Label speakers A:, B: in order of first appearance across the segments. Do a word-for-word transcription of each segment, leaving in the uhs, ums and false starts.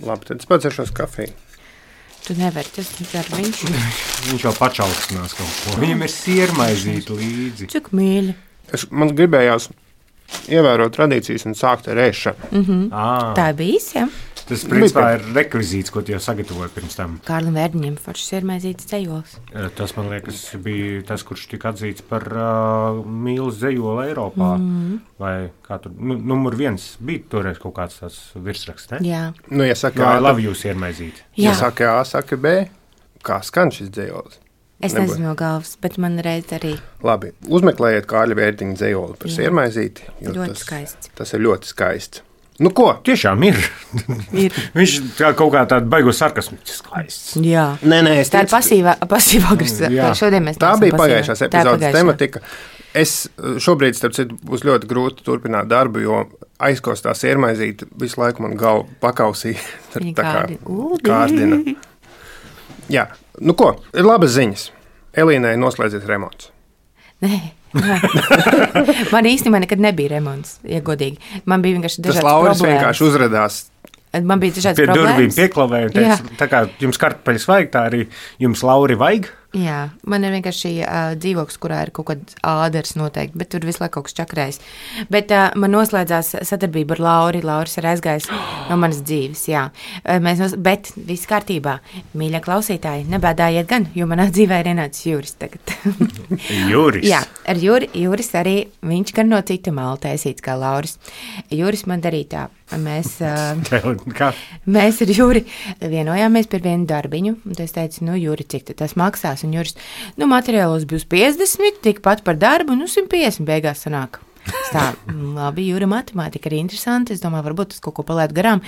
A: Labi, tad es padzeršos kafiju.
B: Tu nevari, tas dar viņš.
C: Viņš vēl pačaukstinās kaut ko. Viņam ir siermaizīti līdzi.
B: Cik mīļi.
A: Es, man gribējās ievērot tradīcijas un sākt ar ēšanu.
B: Mm-hmm.
C: À.
B: Tā ir bijis, ja?
C: Tas, principā, ir rekvizīts, ko tu jau sagatavoji pirms tam.
B: Kārlim Vērdiņam foršs siermaizītes dzejols.
C: Tas, man liekas, bija tas, kurš tika atzīts par uh, mīlas dzejolu Eiropā. Mm-hmm. Vai kā tur, nu, numur viens bija toreiz kaut kāds tās virsraksts, ne?
B: Jā.
A: Nu, ja saka
C: Jā,
A: A,
C: labi jūs siermaizīti.
A: Ja saka A, saka B, kā skan šis dzejols?
B: Es
A: Nebūs.
B: nezinu no galvas, bet man reiz arī.
A: Labi, uzmeklējiet Kārļa Vērdiņa dzejoli par siermaizīti.
B: Ļoti
A: tas,
B: skaists.
A: Tas ir ļoti skaists. Nu ko?
C: Tiešām ir.
B: ir.
C: Viņš kā kaut kā tādu baigo sarkasmu. Skaists.
B: Jā.
A: Nē, nē, es
B: Tā
A: ticu,
B: ir pasīvā, pasīvā agresīva. Šodien mēs
A: tā bija
B: pasīvā.
A: pagājušās epizodes tematika. Es šobrīd, starp citu, būs ļoti grūti turpināt darbu, jo aizkostā siermaizīti visu laiku man galvu pakausīja. Tā kā kārdina. Jā, nu ko, ir labas ziņas. Elīnai noslēdzies remonts.
B: Nē. Man īstenībā nekad nebija remonts, ja godīgi. Man bija vienkārši dažādas
A: problēmas. Tas Lauris
B: problēmas.
A: vienkārši uzradās.
B: Man bija dažādas
C: Pie
B: problēmas.
C: Pie durvīm pieklavēja un teica, tā kā jums kartupeļas vajag, tā arī jums Lauri vajag.
B: Jā, man ir vienkārši uh, dzīvoklis, kurā ir kaut kāds āders noteikti, bet tur visu laiku kaut kas čakrējis. Bet uh, man noslēdzās sadarbība ar Lauri. Lauris ir aizgājis no manas dzīves, jā. Uh, mēs nos... Bet viss kārtībā. Mīļie klausītāji, nebēdājiet gan, jo manā dzīvē ir ienācis Juris tagad.
C: Juris?
B: Jā, ar Juri, Juris arī, viņš gan no cita mala taisīts kā Lauris. Juris man darīja tā. Mēs, uh, mēs ar Juri vienojāmies par vienu darbiņu, un es teicu, nu, Juri, cik tas maksās? Un Juris, nu, materiālos būs piecdesmit, tikpat par darbu, nu, simt piecdesmit beigās sanāk. Tā, labi, Jura matemātika ir interesanti, es domāju, varbūt tas kaut ko palētu garām,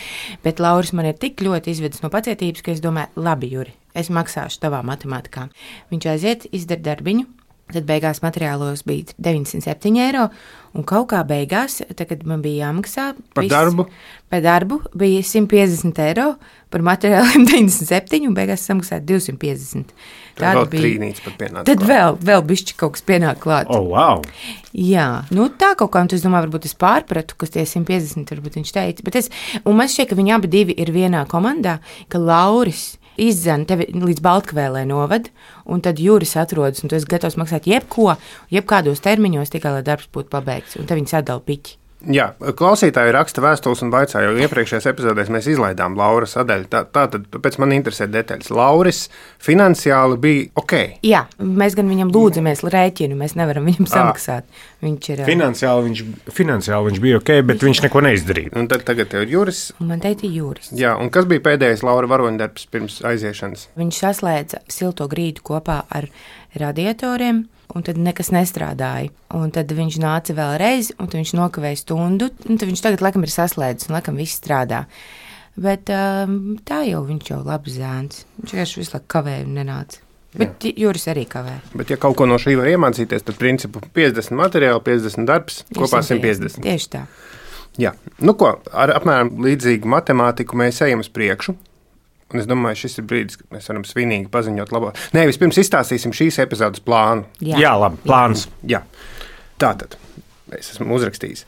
B: bet Lauris man ir tik ļoti izvedis no pacietības, ka es domāju, labi, Juri, es maksāšu tavā matemātikā. Viņš aiziet, izdara darbiņu. Tad beigās materiālos bija deviņdesmit septiņi eiro, un kaut kā beigās, tad, kad man bija jāmaksā
A: par
B: viss,
A: darbu,
B: par darbu bija simt piecdesmit eiro, par materiāliem deviņdesmit septiņi, un beigās samaksāja divsimt piecdesmit.
A: Tad vēl trīnīts pat pienāca
B: Tad klāt. vēl, vēl bišķi kaut kas pienāk klāt.
C: Oh, wow!
B: Jā, nu tā kaut kā, un es domāju, varbūt es pārpratu, kas tie simt piecdesmit, varbūt viņš teica, bet es, un man šķiet, ka viņi abi divi ir vienā komandā, ka Lauris izzana tevi līdz Baltkvēlē novad, un tad Juris atrodas, un tu esi gatavs maksāt jebko, jebkādos termiņos, tikai lai darbs būtu pabeigts, un tad viņi sadala piķi.
A: Jā, klausītāji raksta vēstules un vaicā, jo iepriekšējās epizodēs mēs izlaidām Lauras sadaļu. Tā, tā tad pēc man interesē detaļas. Lauris finansiāli bija ok.
B: Jā, mēs gan viņam lūdzamies rēķinu, mēs nevaram viņam samaksāt. Viņš ir...
C: Finansiāli viņš, finansiāli viņš bija ok, bet viņš neko neizdarīja.
A: Un tad tagad tev ir Juris.
B: Un man teica Juris.
A: Jā, un kas bija pēdējais Laura varoņdarbs pirms aiziešanas?
B: Viņš saslēdza silto grīdu kopā ar radiatoriem. Un tad nekas nestrādāja. Un tad viņš nāca vēlreiz, un tad viņš nokavēja stundu. Un tad viņš tagad, laikam, ir saslēdzis, un laikam viss strādā. Bet um, tā jau viņš jau labs zēns. Viņš vienkārši visu laiku kavēja un nenāca. Bet Jā. Juris arī kavē.
A: Bet, ja kaut ko no šī var iemācīties, tad principu piecdesmit materiāli, piecdesmit darbs, kopā simt piecdesmit.
B: Tieši tā.
A: Jā. Nu ko, ar apmēram līdzīgu matemātiku mēs ejam uz priekšu. Un es domāju, šis ir brīdis, kad mēs varam svinīgi paziņot labāk. Nē, vispirms izstāstīsim šīs epizodes plānu.
C: Jā, Jā labi, plāns.
A: Jā. Tātad, es esmu uzrakstījis.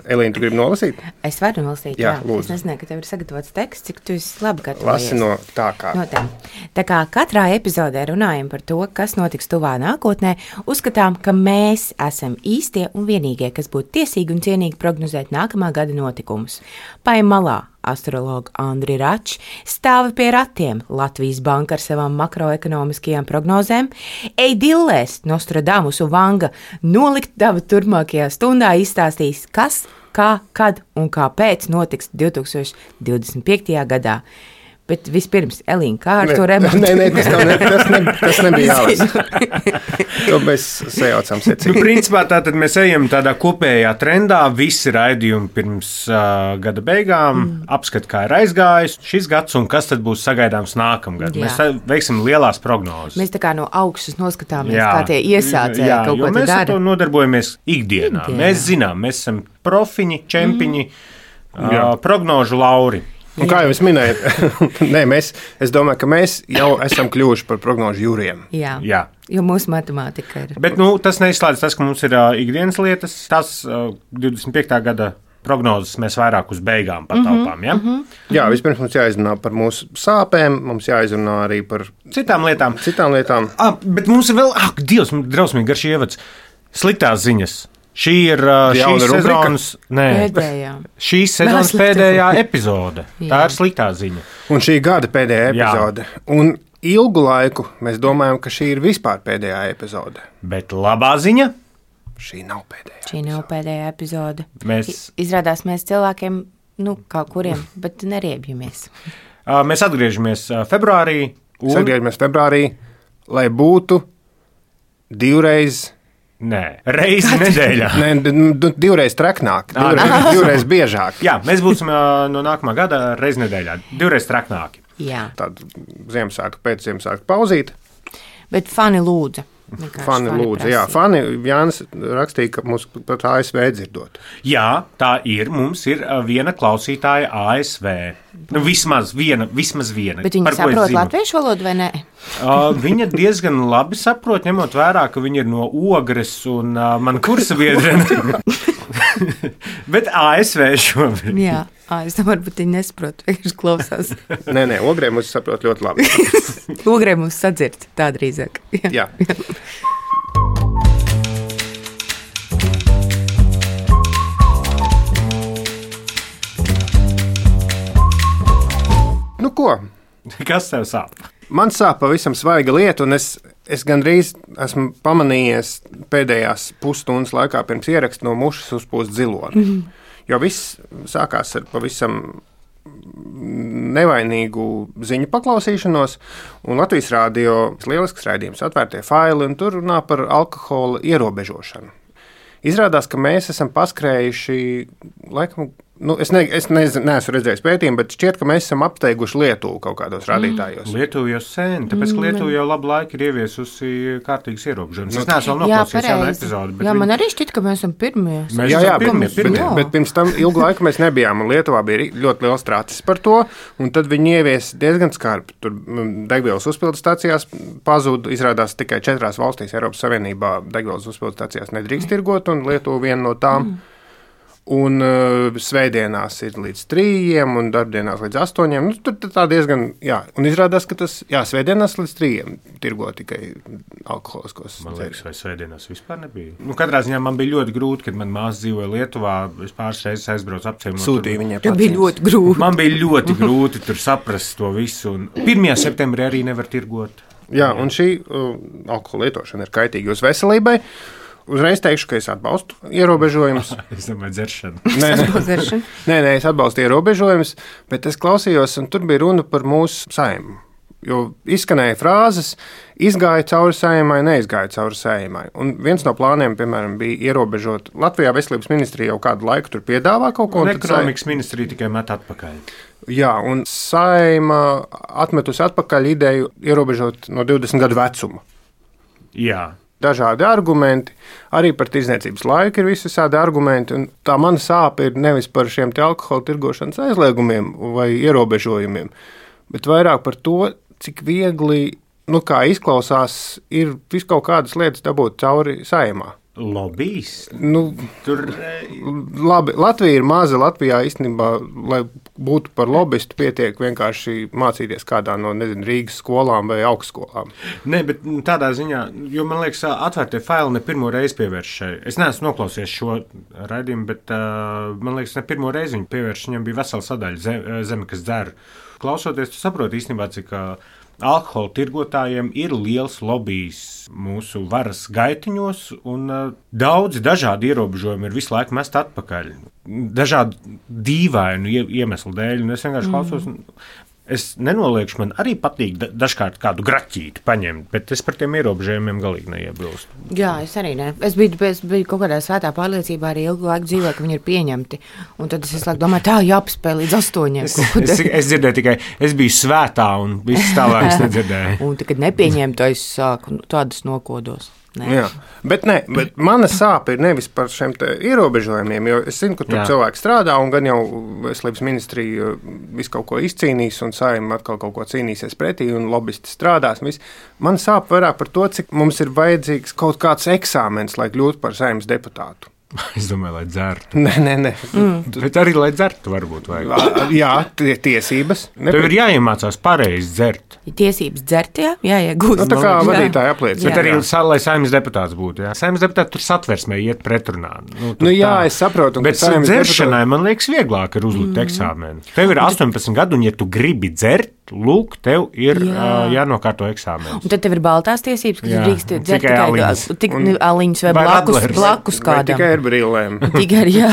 A: Elīna, tu gribi nolasīt?
B: Es varu nolasīt, jā.
A: jā
B: es nezināju, ka tev ir sagatavots teksts, cik tu esi labi gatavojies.
A: Lasi no tā kā.
B: No tā. tā kā katrā epizodē runājam par to, kas notiks tuvā nākotnē, uzskatām, ka mēs esam īstie un vienīgie, kas būtu tiesīgi un cienīgi prognozēt nākamā gada notikumus. Paim malā astrologa Andri Račs stāva pie ratiem Latvijas banka ar savām makroekonomiskajām prognozēm, ej dillēs Nostradamus un Vanga nolikt daba turpmākajā stundā izstāstīs, kas, kā, kad un kāpēc notiks divtūkstoš divdesmit piektajā gadā. Bet vispirms, Elīna, kā ar
A: ne,
B: to remontu?
A: Nē, nē, tas, ne, tas, ne, tas nebija jālasa. To mēs sajaucam secīgi.
C: Nu, principā tātad mēs ejam tādā kopējā trendā, visi raidījumi pirms uh, gada beigām, mm. apskat, kā ir aizgājis šis gads un kas tad būs sagaidāms nākamgad. Jā. Mēs tā, veiksim lielās prognozes.
B: Mēs tā kā no augšas noskatāmies, jā. Kā tie iesācēji
C: jā,
B: kaut ko
C: te dara. Jā, jo mēs ar to nodarbojamies ikdienā. ikdienā. Mēs zinām, mēs esam profiņi, čempiņi, mm. uh, prognožu lauri.
A: Un kā jau es minēju, nē, mēs, es domāju, ka mēs jau esam kļuvuši par prognožu jūriem.
B: Jā,
C: Jā.
B: Jo mūsu matemātika ir.
C: Bet nu, tas neizslēdz tas, ka mums ir uh, ikdienas lietas. Tas uh, divdesmit piektā gada prognozes mēs vairāk uz beigām pataupām. Ja?
B: Mm-hmm.
A: Jā, vispirms mums jāizrunā par mūsu sāpēm, mums jāizrunā arī par
C: citām lietām.
A: Citām lietām.
C: Ah, bet mums ir vēl, ak, Dievs, drausmīgi garš ievads. Sliktās ziņas. Šī ir uh, šīs sezonas, nē,
B: pēdējā.
C: šīs sezonas pēdējā epizode. Tā ir sliktā ziņa.
A: Un šī gada pēdējā epizode. Jā. Un ilgu laiku mēs domājam, ka šī ir vispār pēdējā epizode.
C: Bet labā ziņa?
A: Šī nav pēdējā.
B: Šī nav epizode. pēdējā epizode.
C: Mēs...
B: Izrādās mēs cilvēkiem, nu, kaut kuriem, bet neriebjamies.
C: Uh, mēs atgriežamies uh, februārī.
A: Un... Mēs atgriežamies februārī, lai būtu divreiz...
C: Nē, reizi nedēļā.
A: Nē, divreiz traknāk, divreiz, divreiz biežāk.
C: Jā, mēs būsim uh, no nākamā gada reizi nedēļā, divreiz traknāki.
B: Jā.
A: Tāda Ziemassvētku pēc Ziemassvētku pauzīt.
B: Bet fani lūdza.
A: Fani lūdza, jā. Fani Jānis rakstīja, ka mums pat A S V dzirdot.
C: Jā, tā ir. Mums ir viena klausītāja A S V. Nu, vismaz viena, vismaz viena.
B: Bet viņa saprot latviešu valodu vai nē?
C: Uh, viņa diezgan labi saprot, ņemot vērā, ka viņa ir no Ogres un uh, man kursa biedrene. Bet A S V šobrīd.
B: Jā, à, es domāju, varbūt viņi nesaprot, vienkārši klausās.
A: Nē, nē, Ogrē mūs saprot ļoti labi.
B: Ogrē mūs sadzird, tā drīzāk.
A: Jā. Jā. Nu ko?
C: Kas tev sāp?
A: Man sāp pavisam svaiga lieta, un es, es gandrīz esmu pamanījies pēdējās pusstundas laikā pirms ieraksta no mušas uzpūst ziloni. Mm-hmm. Jo viss sākās ar pavisam nevainīgu ziņu paklausīšanos, un Latvijas Rādio lielisks raidījums Atvērtie faili, un tur runā par alkohola ierobežošanu. Izrādās, ka mēs esam paskrējuši, laikam, nu, es, ne, es nezinu, neesmu redzējis pētījumu, bet šķiet, ka mēs esam apsteiguši Lietuvu kaut kādos rādītājos.
C: Mm. Lietuva jau sen, tāpēc, ka Lietuva jau labu laiku ir ieviesusi kārtīgas ierobežojumus. Es neesmu vēl noklausījis jaunu epizodi.
B: Jā, man arī šķiet, ka mēs esam pirmie.
C: Mēs
A: jā, jā,
C: pirmie, pirmie.
A: Bet, bet pirms tam ilgu laiku mēs nebijām, un Lietuvā bija ļoti liels tracis par to, un tad viņi ievies diezgan skarbi. Tur degvielas uzpildes stacijās pazuda, izrādās tikai četrās valstīs Eiropas Savienībā degvielas uzpildes stacijās nedrīkst tirgot, un Lietuva viena no tām. Mm. Un uh, svētdienās ir līdz trījiem, un darbdienās līdz astoņiem. Nu, tur tā diezgan, jā. Un izrādās, ka tas, jā, svētdienās līdz trījiem tirgo tikai alkoholiskos.
C: Man liekas, vai svētdienās vispār nebija. Nu, katrā ziņā man bija ļoti grūti, kad man māsa dzīvoja Lietuvā. Es pāris reizes aizbraucu apciemot.
A: Sūtīja viņai
B: pats. Bija ļoti grūti.
C: Man bija ļoti grūti tur saprast to visu. Un pirmajā septembrī arī nevar tirgot.
A: Jā, un šī uh, alkohola lietošana ir kaitīga jūsu veselībai. Uzreiz teikšu, ka es atbalstu ierobežojumus.
C: Es domāju, dzeršanu.
A: Nē, nē, nē, nē, es atbalstu ierobežojumus, bet es klausījos, un tur bija runa par mūsu Saeimu. Jo izskanēja frāzes, izgāja cauri Saeimai, neizgāja cauri Saeimai. Un viens no plāniem, piemēram, bija ierobežot. Latvijā veselības ministrija jau kādu laiku tur piedāvā kaut ko.
C: Un ekonomikas ministrija tikai met atpakaļ.
A: Jā, un Saeima atmetusi atpakaļ ideju ierobežot no divdesmit gadu vecuma.
C: Jā.
A: Dažādi argumenti, arī par tirdzniecības laiku ir visādi argumenti. Tā mana sāpe ir nevis par šiem alkohola tirgošanas aizliegumiem vai ierobežojumiem, bet vairāk par to, cik viegli, nu kā izklausās, ir vis kaut kādas lietas dabūt cauri Saeimā.
C: Lobbyis?
A: Nu,
C: Tur...
A: Labi, Latvija ir maza. Latvijā īstenībā, lai būtu par lobbyistu, pietiek vienkārši mācīties kādā no, nezinu, Rīgas skolām vai augstskolām.
C: Nē, bet tādā ziņā, jo man liekas, Atvērtie faili ne pirmo reizi pievērš šai. Es neesmu noklausījies šo raidījumu, bet uh, man liekas, ne pirmo reizi viņi pievērš. Viņam bija vesela sadaļa zeme, zeme kas dzer. Klausoties, tu saproti īstenībā, cik uh, alkohola tirgotājiem ir liels lobijs mūsu varas gaitiņos, un uh, daudzi dažādi ierobežojumi ir visu laiku mest atpakaļ. Dažādu dīvainu iemeslu dēļ, un es vienkārši mm. klausos. Es nenoliekšu, man arī patīk da- dažkārt kādu graķīti paņemt, bet es par tiem ierobežojumiem galīgi neiebilstu.
B: Jā, es arī ne. Es biju, es biju kaut kādā svētā pārliecībā arī ilgu laiku dzīvē, ka viņi ir pieņemti. Un tad es visu laiku domāju, tā jāpaspēj līdz astoņiem.
C: Es, es, es dzirdēju tikai, es biju svētā un viss tālāk es nedzirdēju.
B: Un tad, kad nepieņemtu, es sāku tādas nokodos. Nē.
A: Jā, bet, ne, bet mana sāpe ir nevis par šiem ierobežojumiem, jo es zinu, ka tur Jā. cilvēki strādā un gan jau veselības ministrija visu kaut ko izcīnīs un Saeima atkal kaut ko cīnīsies pretī un lobbyisti strādās. Man sāp vairāk par to, cik mums ir vajadzīgs kaut kāds eksāmens, lai kļūtu par Saeimas deputātu.
C: Es domāju, lai dzertu.
A: Nē, nē, nē.
C: Mm. Bet arī, lai dzertu, varbūt vajag.
A: Jā, tiesības.
C: Tev ir jāiemācās pareizi dzert.
B: Tiesības dzert, jā, jāiegūst.
A: Nu, tā kā vadītāja apliecina.
C: Bet arī, lai saimnes deputāts būtu, jā. Saimnes deputāti tur satversmē iet pretrunā. Nu,
A: nu jā, tā. Es saprotu.
C: Bet dzeršanai, deputāti... man liekas, vieglāk ir uzlikt mm. eksāmenu. Tev ir astoņpadsmit gadu, un ja tu gribi dzert, lūk, tev ir jā. uh, jānokārto eksāmenis.
B: Un tad tev ir baltās tiesības, kas drīkst dzert tikai aliņas, tik, aliņas vai, vai blakus, blakus kādam.
A: Vai tikai ar brīlēm.
B: Tikai ar, jā.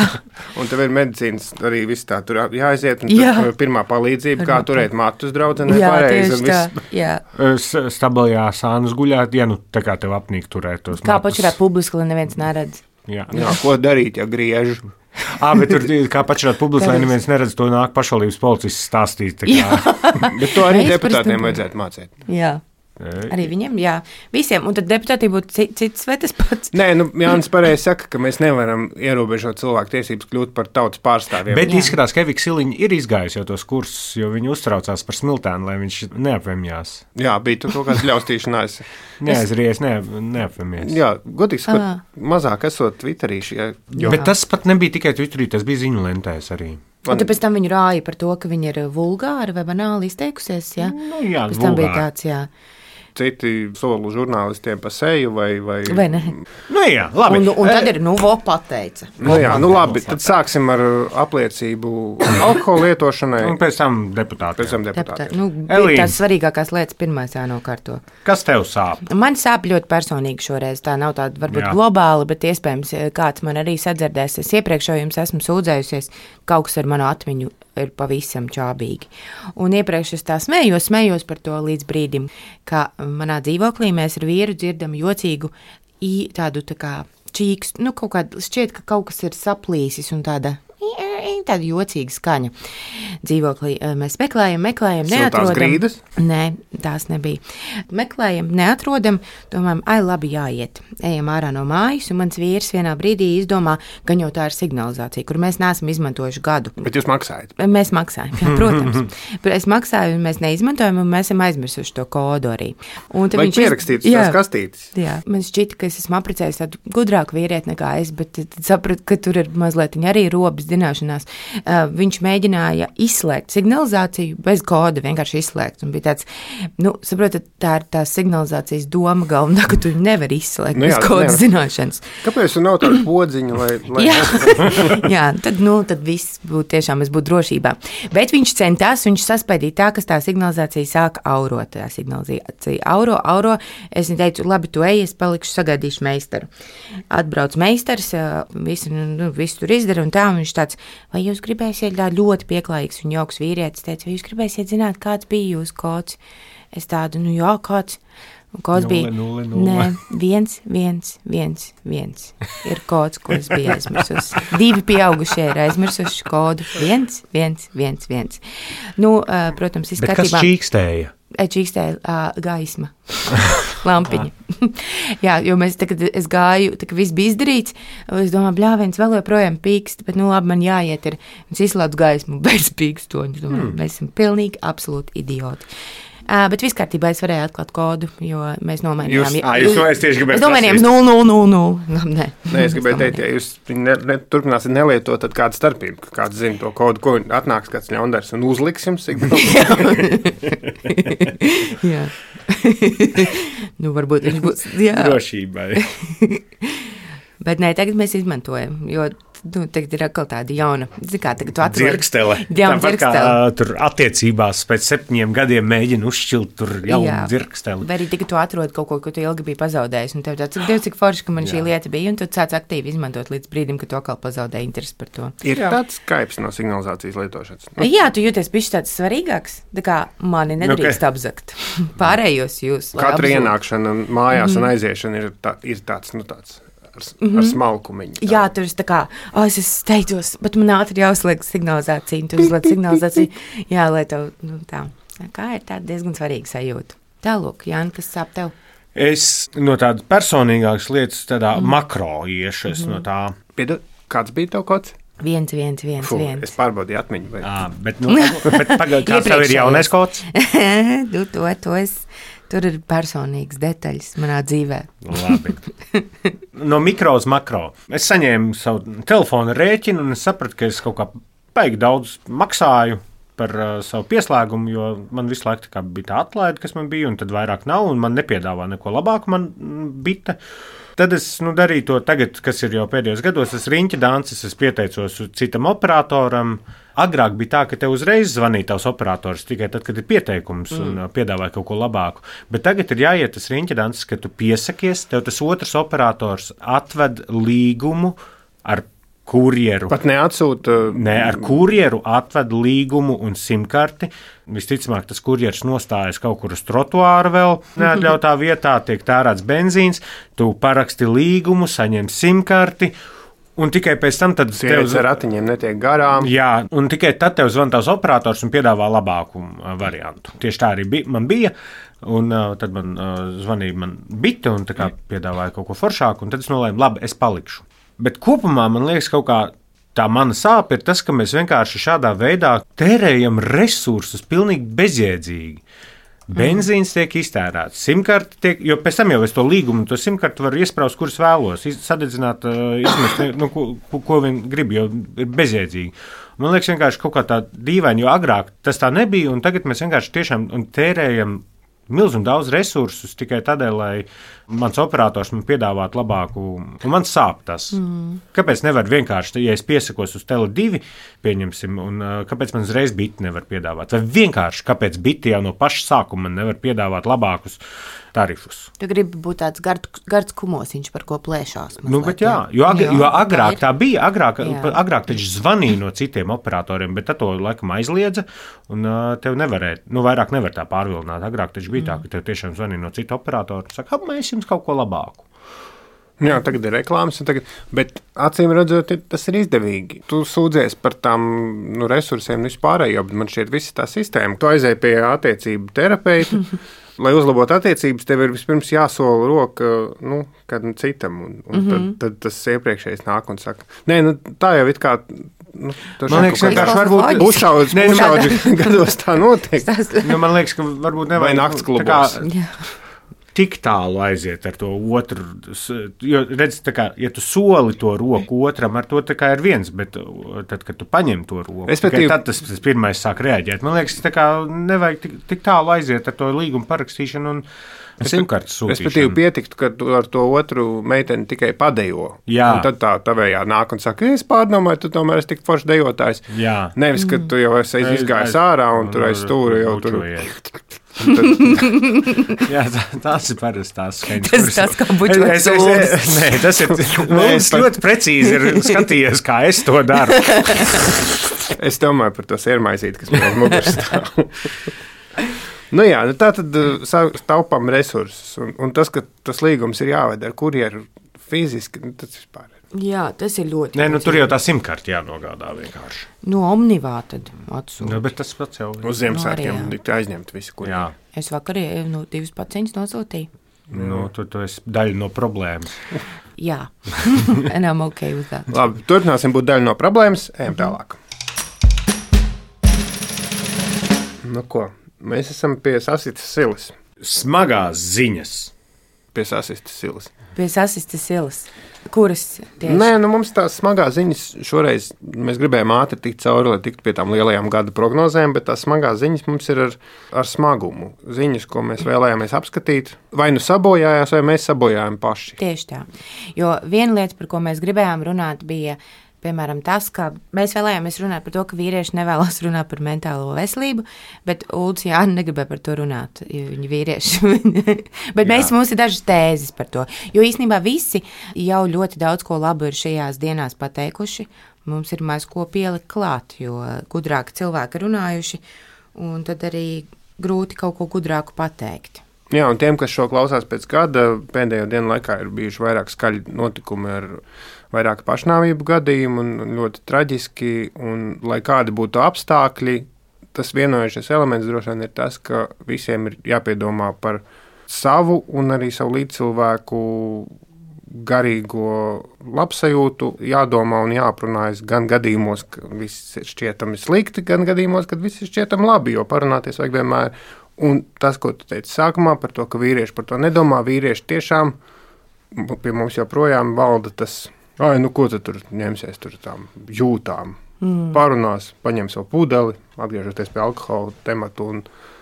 A: Un tev ir medicīnas arī viss tā, tur jāaiziet, un jā. Pirmā palīdzība, kā turēt matus draudzenē pareizi.
B: Jā, tieši tā, jā.
C: Stabilajā sānas guļāt, ja nu tā kā tev apnīk turēt tos
B: kā
C: matus.
B: Kā pačurāt publiski, lai neviens neredz.
C: Jā.
A: jā, ko darīt, ja griež?
C: Ā, bet tur, kā pačurāt publiski, lai neviens neredz, to nāk pašvaldības policists stāstīt.
A: Bet to arī deputātiem vajadzētu mācīt.
B: Jā. Arī viņiem, jā, visiem. Un tad deputātī būtu cits vai tas pats.
A: Nē, nu, Jānis pareizi saka, ka mēs nevaram ierobežot cilvēku tiesības kļūt par tautas pārstāvjiem.
C: Bet jā. Izskatās, ka Evika Siliņa ir izgājusi jau tos kursus, jo viņi uztraucās par Smiltēnu, lai viņš neapvemjās.
A: Jā, bija tur kaut kāds ļaustīšanās.
C: Neaizries, ne, neapvemies.
A: Jā, godīgi sakot, mazāk esot Twitterī šie.
C: Jo. Bet tas pat nebija tikai Twitterī, tas bija ziņu lentēs arī.
B: Un tad pēc tam viņu rāja par to, ka viņi ir vulgāri vai banāli izteikusies, jā?
C: Nu, jā,
B: pēc tam bija tāds, jā.
A: Citi solu žurnālistiem pa seju vai... Vai,
B: vai ne?
C: Nu jā, labi.
B: Un, un tad ir, nu, vo pateica.
A: Nu jā, nu labi, tad sāksim ar apliecību alkohola lietošanai.
C: Un pēc tam deputātiem.
A: Pēc tam deputātiem.
B: Nu, tās svarīgākās lietas pirmais jānokārto.
C: Kas tev sāp?
B: Man sāp ļoti personīgi šoreiz. Tā nav tāda varbūt jā. Globāla, bet iespējams kāds man arī sadzirdēs. Es iepriekš jau jums esmu sūdzējusies, kaut kas ar manu atmiņu ir pavisam čābīgi. Un iepriekš es tā smējos, smējos par to līdz brīdim, ka manā dzīvoklī mēs ar vīru dzirdam jocīgu tādu tā kā čīkstu, nu kaut kādu, šķiet, ka kaut kas ir saplīsis un tāda, tāda jocīga skaņa. Dzīvoklī mēs meklējam, meklējam, neatrodam.
A: Siltās grīdas?
B: Nē, tās nebija. Meklējam, neatrodam, domājam, ai, labi, jāiet. Ejam ārā no mājas, un mans vīrs vienā brīdī izdomā, ka jau tā ir signalizācija, kur mēs neesam izmantojuši gadu.
A: Bet jūs maksājat?
B: Mēs maksājam, jā, protams. Es maksāju, un mēs neizmantojam, un mēs esam aizmirsuši to kodu arī.
A: Vai pierakstīts tās kastītes?
B: Jā, man šķita, ka es esmu apprecējis tādu gudrāku vīrieti nekā es, bet tad sapratu, ka tur ir mazliet arī robas zināšanās. Uh, viņš mēģināja izslēgt signalizāciju bez koda, vienkārši izslēgt. Un bija tāds, nu, saprotat, tā ir tā signalizācijas doma galvenā, ka tu nevari izslēgt nu, jā, bez koda zināšanas.
A: Kāpēc tu nav tāda podziņa, lai... lai
B: jā, jā, tad, nu, tad viss būtu tiešām, es būtu drošībā. Bet viņš centās, viņš saspēdīja tā, kas tā signalizācija sāka aurot. Tā signalizācija auro, auro. Es viņai teicu, labi, tu ej, es palikšu, sagaidīšu meistaru. Atbrauc meistars, visu, nu, visu tur izdara un tā, un viņš tāds, vai jūs gribēsiet ļoti pieklājīgs un jauks vīrietis, teica, vai jūs gribēsiet zināt, kāds bija jūsu kods? Es tādu, nu jā, kāds? Un kods
C: nulle,
B: bija,
C: nulle, nulle.
B: Nē, viens, viens, viens, viens. Ir kods, ko es biju aizmirsusi. Divi pieaugušie ir aizmirsuši kodu. Viens, viens, viens, viens. Nu, uh, protams, izskatībā.
C: Bet kas čīkstēja?
B: Čīkstēja uh, gaisma, lampiņa. Jā, jo mēs, tā, kad es gāju, tā, kad viss bija izdarīts, es domāju, bļā, viens vēl joprojām pīkst, bet, nu, labi, man jāiet ir, es izslēdzu gaismu bez pīkstoņu. Mm. Mēs esam pilnīgi absolūti idioti. Uh, bet viss kārtībā es varēju atklāt kodu, jo mēs nomainījām.
C: Jūs, ā, jūs to es tieši gribēju
B: Mēs nomainījām nulle, nulle, nulle, nulle. Nē,
A: Nē, es gribēju teikt, ja jūs ne, ne, turpināsiet nelietot, tad kāda starpība, ka kāds zina to kodu, ko atnāks kāds ļaundars un uzliks jums signālu.
B: Jā. Nu, varbūt viņš būs, jā.
C: Drošībai.
B: Bet nē, tagad mēs izmantojam, jo nu, tagad ir atkal tāda jauna, kā tagad tu atrod.
C: Dzirkstele.
B: Jauna dzirkstele.
C: Kā tur attiecībās pēc septiņiem gadiem mēģina uzšķilt tur jaunu jā. Dzirksteli.
B: Vai arī tagad tu atrod kaut ko, ko tu ilgi biji pazaudējis, un tev tāds, cik Dievs, cik forši, ka man jā. Šī lieta bija, un tu sāc aktīvi izmantot līdz brīdim, ka tu atkal pazaudēji interesi par to.
A: Ir jā. Tāds skaips no signalizācijas lietošanas. Nu.
B: Jā, tu jūties bišķi tāds svarīgāks, tā kā mani nedrīkst okay. apzakt. Pārējos jūs.
A: Katra apzult. Ienākšana mājās mm. un aiziešana ir, tā, ir tāds, nu tāds. Ar, mm-hmm. ar smalkumiņu. Tā.
B: Jā, tur ir tā kā, oh, es steidzos, bet man ātri jāuzliek signalizācija, un tu uzliek signalizāciju, jā, lai tev, nu tā, kā ir tāda diezgan svarīga sajūta. Tālūk, Jāni, kas sāp tev?
C: Es no tādas personīgākas lietas, tādā mm. makro iešu, es mm-hmm. no tā.
A: Piedod, kāds bija tev kods?
B: Viens, viens, viens,
A: Fuh,
B: viens.
A: Es pārbaudīju atmiņu. Vai...
C: À, bet, nu, bet pagaid, kāds tev ir jaunais kods?
B: tu, to, to es... Tur ir personīgas detaļas manā dzīvē.
C: Labi. No mikro uz makro. Es saņēmu savu telefona rēķinu un es sapratu, ka es kaut kā baigi daudz maksāju par uh, savu pieslēgumu, jo man visu laiku tā bija tā atlaide, kas man bija, un tad vairāk nav, un man nepiedāvā neko labāku man bita. Tad es nu, darīju to tagad, kas ir jau pēdējos gados, es riņķa dancis, es pieteicos citam operatoram. Agrāk bija tā, ka tev uzreiz zvanīja tavs operators tikai tad, kad ir pieteikums mm. un piedāvāja kaut ko labāku. Bet tagad ir jāiet tas riņķa dancis, ka tu piesakies, tev tas otrs operators atved līgumu ar kurjeru.
A: Pat neatsūta.
C: Nē, ar kurjeru atved līgumu un simkarti. Visticamāk, tas kurjers nostājas kaut kur uz trotuāra vēl neatļautā vietā, tiek tērēts benzīns, tu paraksti līgumu, saņem simkarti, un tikai pēc tam tad
A: tev ar ratiņiem netiek garām.
C: Jā, un tikai tad tev zvan tavs operators un piedāvā labāku variantu. Tieši tā arī bija, man bija. Un uh, tad man uh, zvanīja man bita un tā kā piedāvāja kaut ko foršāku, un tad es nolēmu, labi, es palikšu. Bet kopumā man liekas, kaut kā tā mana sāpe ir tas, ka mēs vienkārši šādā veidā tērējam resursus pilnīgi bezjēdzīgi. Benzīns tiek iztērēts, simkarti tiek, jo pēc tam jau es to līgumu, to simkarti varu iespraust, kurus vēlos, sadedzināt, izmest, nu, ko, ko vien grib, jo ir bezjēdzīgi. Man liekas vienkārši kaut kā tā dīvaini, jo agrāk tas tā nebija, un tagad mēs vienkārši tiešām tērējam milzīgi daudz resursus tikai tādēļ, lai mans operators man piedāvātu labāku, un man sāp tas. Mm. Kāpēc nevar vienkārši, ja es piesakos uz Tele divi, pieņemsim, un uh, kāpēc man uzreiz biti nevar piedāvāt? Vai vienkārši, kāpēc biti jau no paša sākuma man nevar piedāvāt labākus tarifus?
B: Tu gribi būt tāds gar, gards kumosiņš, par ko plēšās. Mazliet,
C: nu, bet jā, jo, ag, jo agrāk tā bija, agrāk, agrāk taču zvanīja no citiem operatoriem, bet tad to laikam aizliedza, un uh, tev nevarēja, nu, vairāk nevar tā pārvilināt. Agrāk taču bija mm. tā, ka tev tiešām zvanīja no citu operatoru, un saka, mēs jums kaut ko labāku.
A: Jā, tagad ir reklāmas, tagad, bet acīm redzot, tas ir izdevīgi. Tu sūdzies par tām nu, resursiem vispārējo, bet man šķiet visa tā sistēma. Tu aizēji pie attiecību terapeita, lai uzlabotu attiecības, tev ir vispirms jāsola roka nu, kādam citam, un, un mm -hmm. tad, tad tas iepriekšējais nāk un saka, nē, nu, tā jau it kā. Nu,
C: man liekas, ka varbūt
A: uzšaudži, ne, uzšaudži gados tā notiek.
C: Nu, man liekas, ka varbūt nevajag.
A: Vai nakts klubos.
C: Tik tālu aiziet ar to otru, jo redz, tā kā, ja tu soli to roku otram, ar to tā kā ir viens, bet tad, kad tu paņem to roku, tikai tad tas, tas pirmais sāk reaģēt. Man liekas, tā kā nevajag tik, tik tālu aiziet ar to līgumu parakstīšanu un simkartes sūtīšanu.
A: Respektīvi pietiktu, ka tu ar to otru meiteni tikai padejo. Jā. Un tad tā tavējā nāk un saka, es pārdomāju, tu tomēr esi tik foršs dejotājs.
C: Jā.
A: Nevis, ka tu jau esi izgājis ārā un tur aiz stūra jau tur.
C: Jā, tā, tās ir parasti tās skaņas.
B: Tas ir tas, kā bučots sūdzes.
C: Nē, tas ir Lūdz ļoti precīzi ir skatījies, kā es to daru.
A: Es domāju par to sērmaisīti, kas man muguras stāv. Nu jā, nu tā tad taupām resursus. Un, un tas, ka tas līgums ir jāved ar kurjeru fiziski, nu, tas vispār ir.
B: Jā, tas ir ļoti.
C: Nē, nu tur jau tā simkarti jānogādā vienkārši.
B: No Omnivā tad atsūta.
C: Nu, bet tas pats jau
A: uz Ziemassvētkiem no aizņemt visu, kur.
C: Jā.
B: Es vakar nu, divas paciņas nosūtīju.
C: Nu, tu, tu esi daļa no problēmas.
B: Jā, and I'm okay with that.
A: Labi, turpināsim būt daļa no problēmas, ejam tālāk. Nu ko, mēs esam pie sasistas silas.
C: Smagās ziņas.
A: Pie sasistas silas.
B: Pie sasistas silas. Kuras tieši?
A: Nē, nu mums tās smagās ziņas šoreiz, mēs gribējām ātri tikt cauri, lai tiktu pie tām lielajām gada prognozēm, bet tās smagās ziņas mums ir ar, ar smagumu. Ziņas, ko mēs vēlējāmies apskatīt, vai nu sabojājās, vai mēs sabojājām paši.
B: Tieši tā. Jo viena lieta, par ko mēs gribējām runāt, bija piemēram tas, ka mēs vēlējāmies runāt par to, ka vīrieši nevēlas runāt par mentālo veselību, bet Ulds Jāni negribēja par to runāt, jo viņi vīrieši. Bet mēs, mums ir dažas tēzes par to, jo īstenībā visi jau ļoti daudz ko labu ir šajās dienās pateikuši. Mums ir maz ko pielikt klāt, jo gudrāki cilvēki runājuši, un tad arī grūti kaut ko gudrāku pateikt.
A: Jā, un tiem, kas šo klausās pēc gada, pēdējo dienu laikā ir bijuši vairāk skaļi notikumi ar vairāk pašnāvību gadījumu un ļoti traģiski, un lai kādi būtu apstākļi, tas vienojošais elements droši vien ir tas, ka visiem ir jāpiedomā par savu un arī savu līdzcilvēku garīgo labsajūtu, jādomā un jāaprunājas gan gadījumos, ka viss ir šķietami slikti, gan gadījumos, kad viss ir šķietami labi, jo parunāties vajag vienmēr. Un tas, ko tu teici sākumā par to, ka vīrieši par to nedomā, vīrieši tiešām pie mums joprojām valda tas, ai, nu ko tu tur ņemsies tur tām jūtām. Mm. Parunās, paņem savu pudeli, atgriežoties pie alkohola tematu un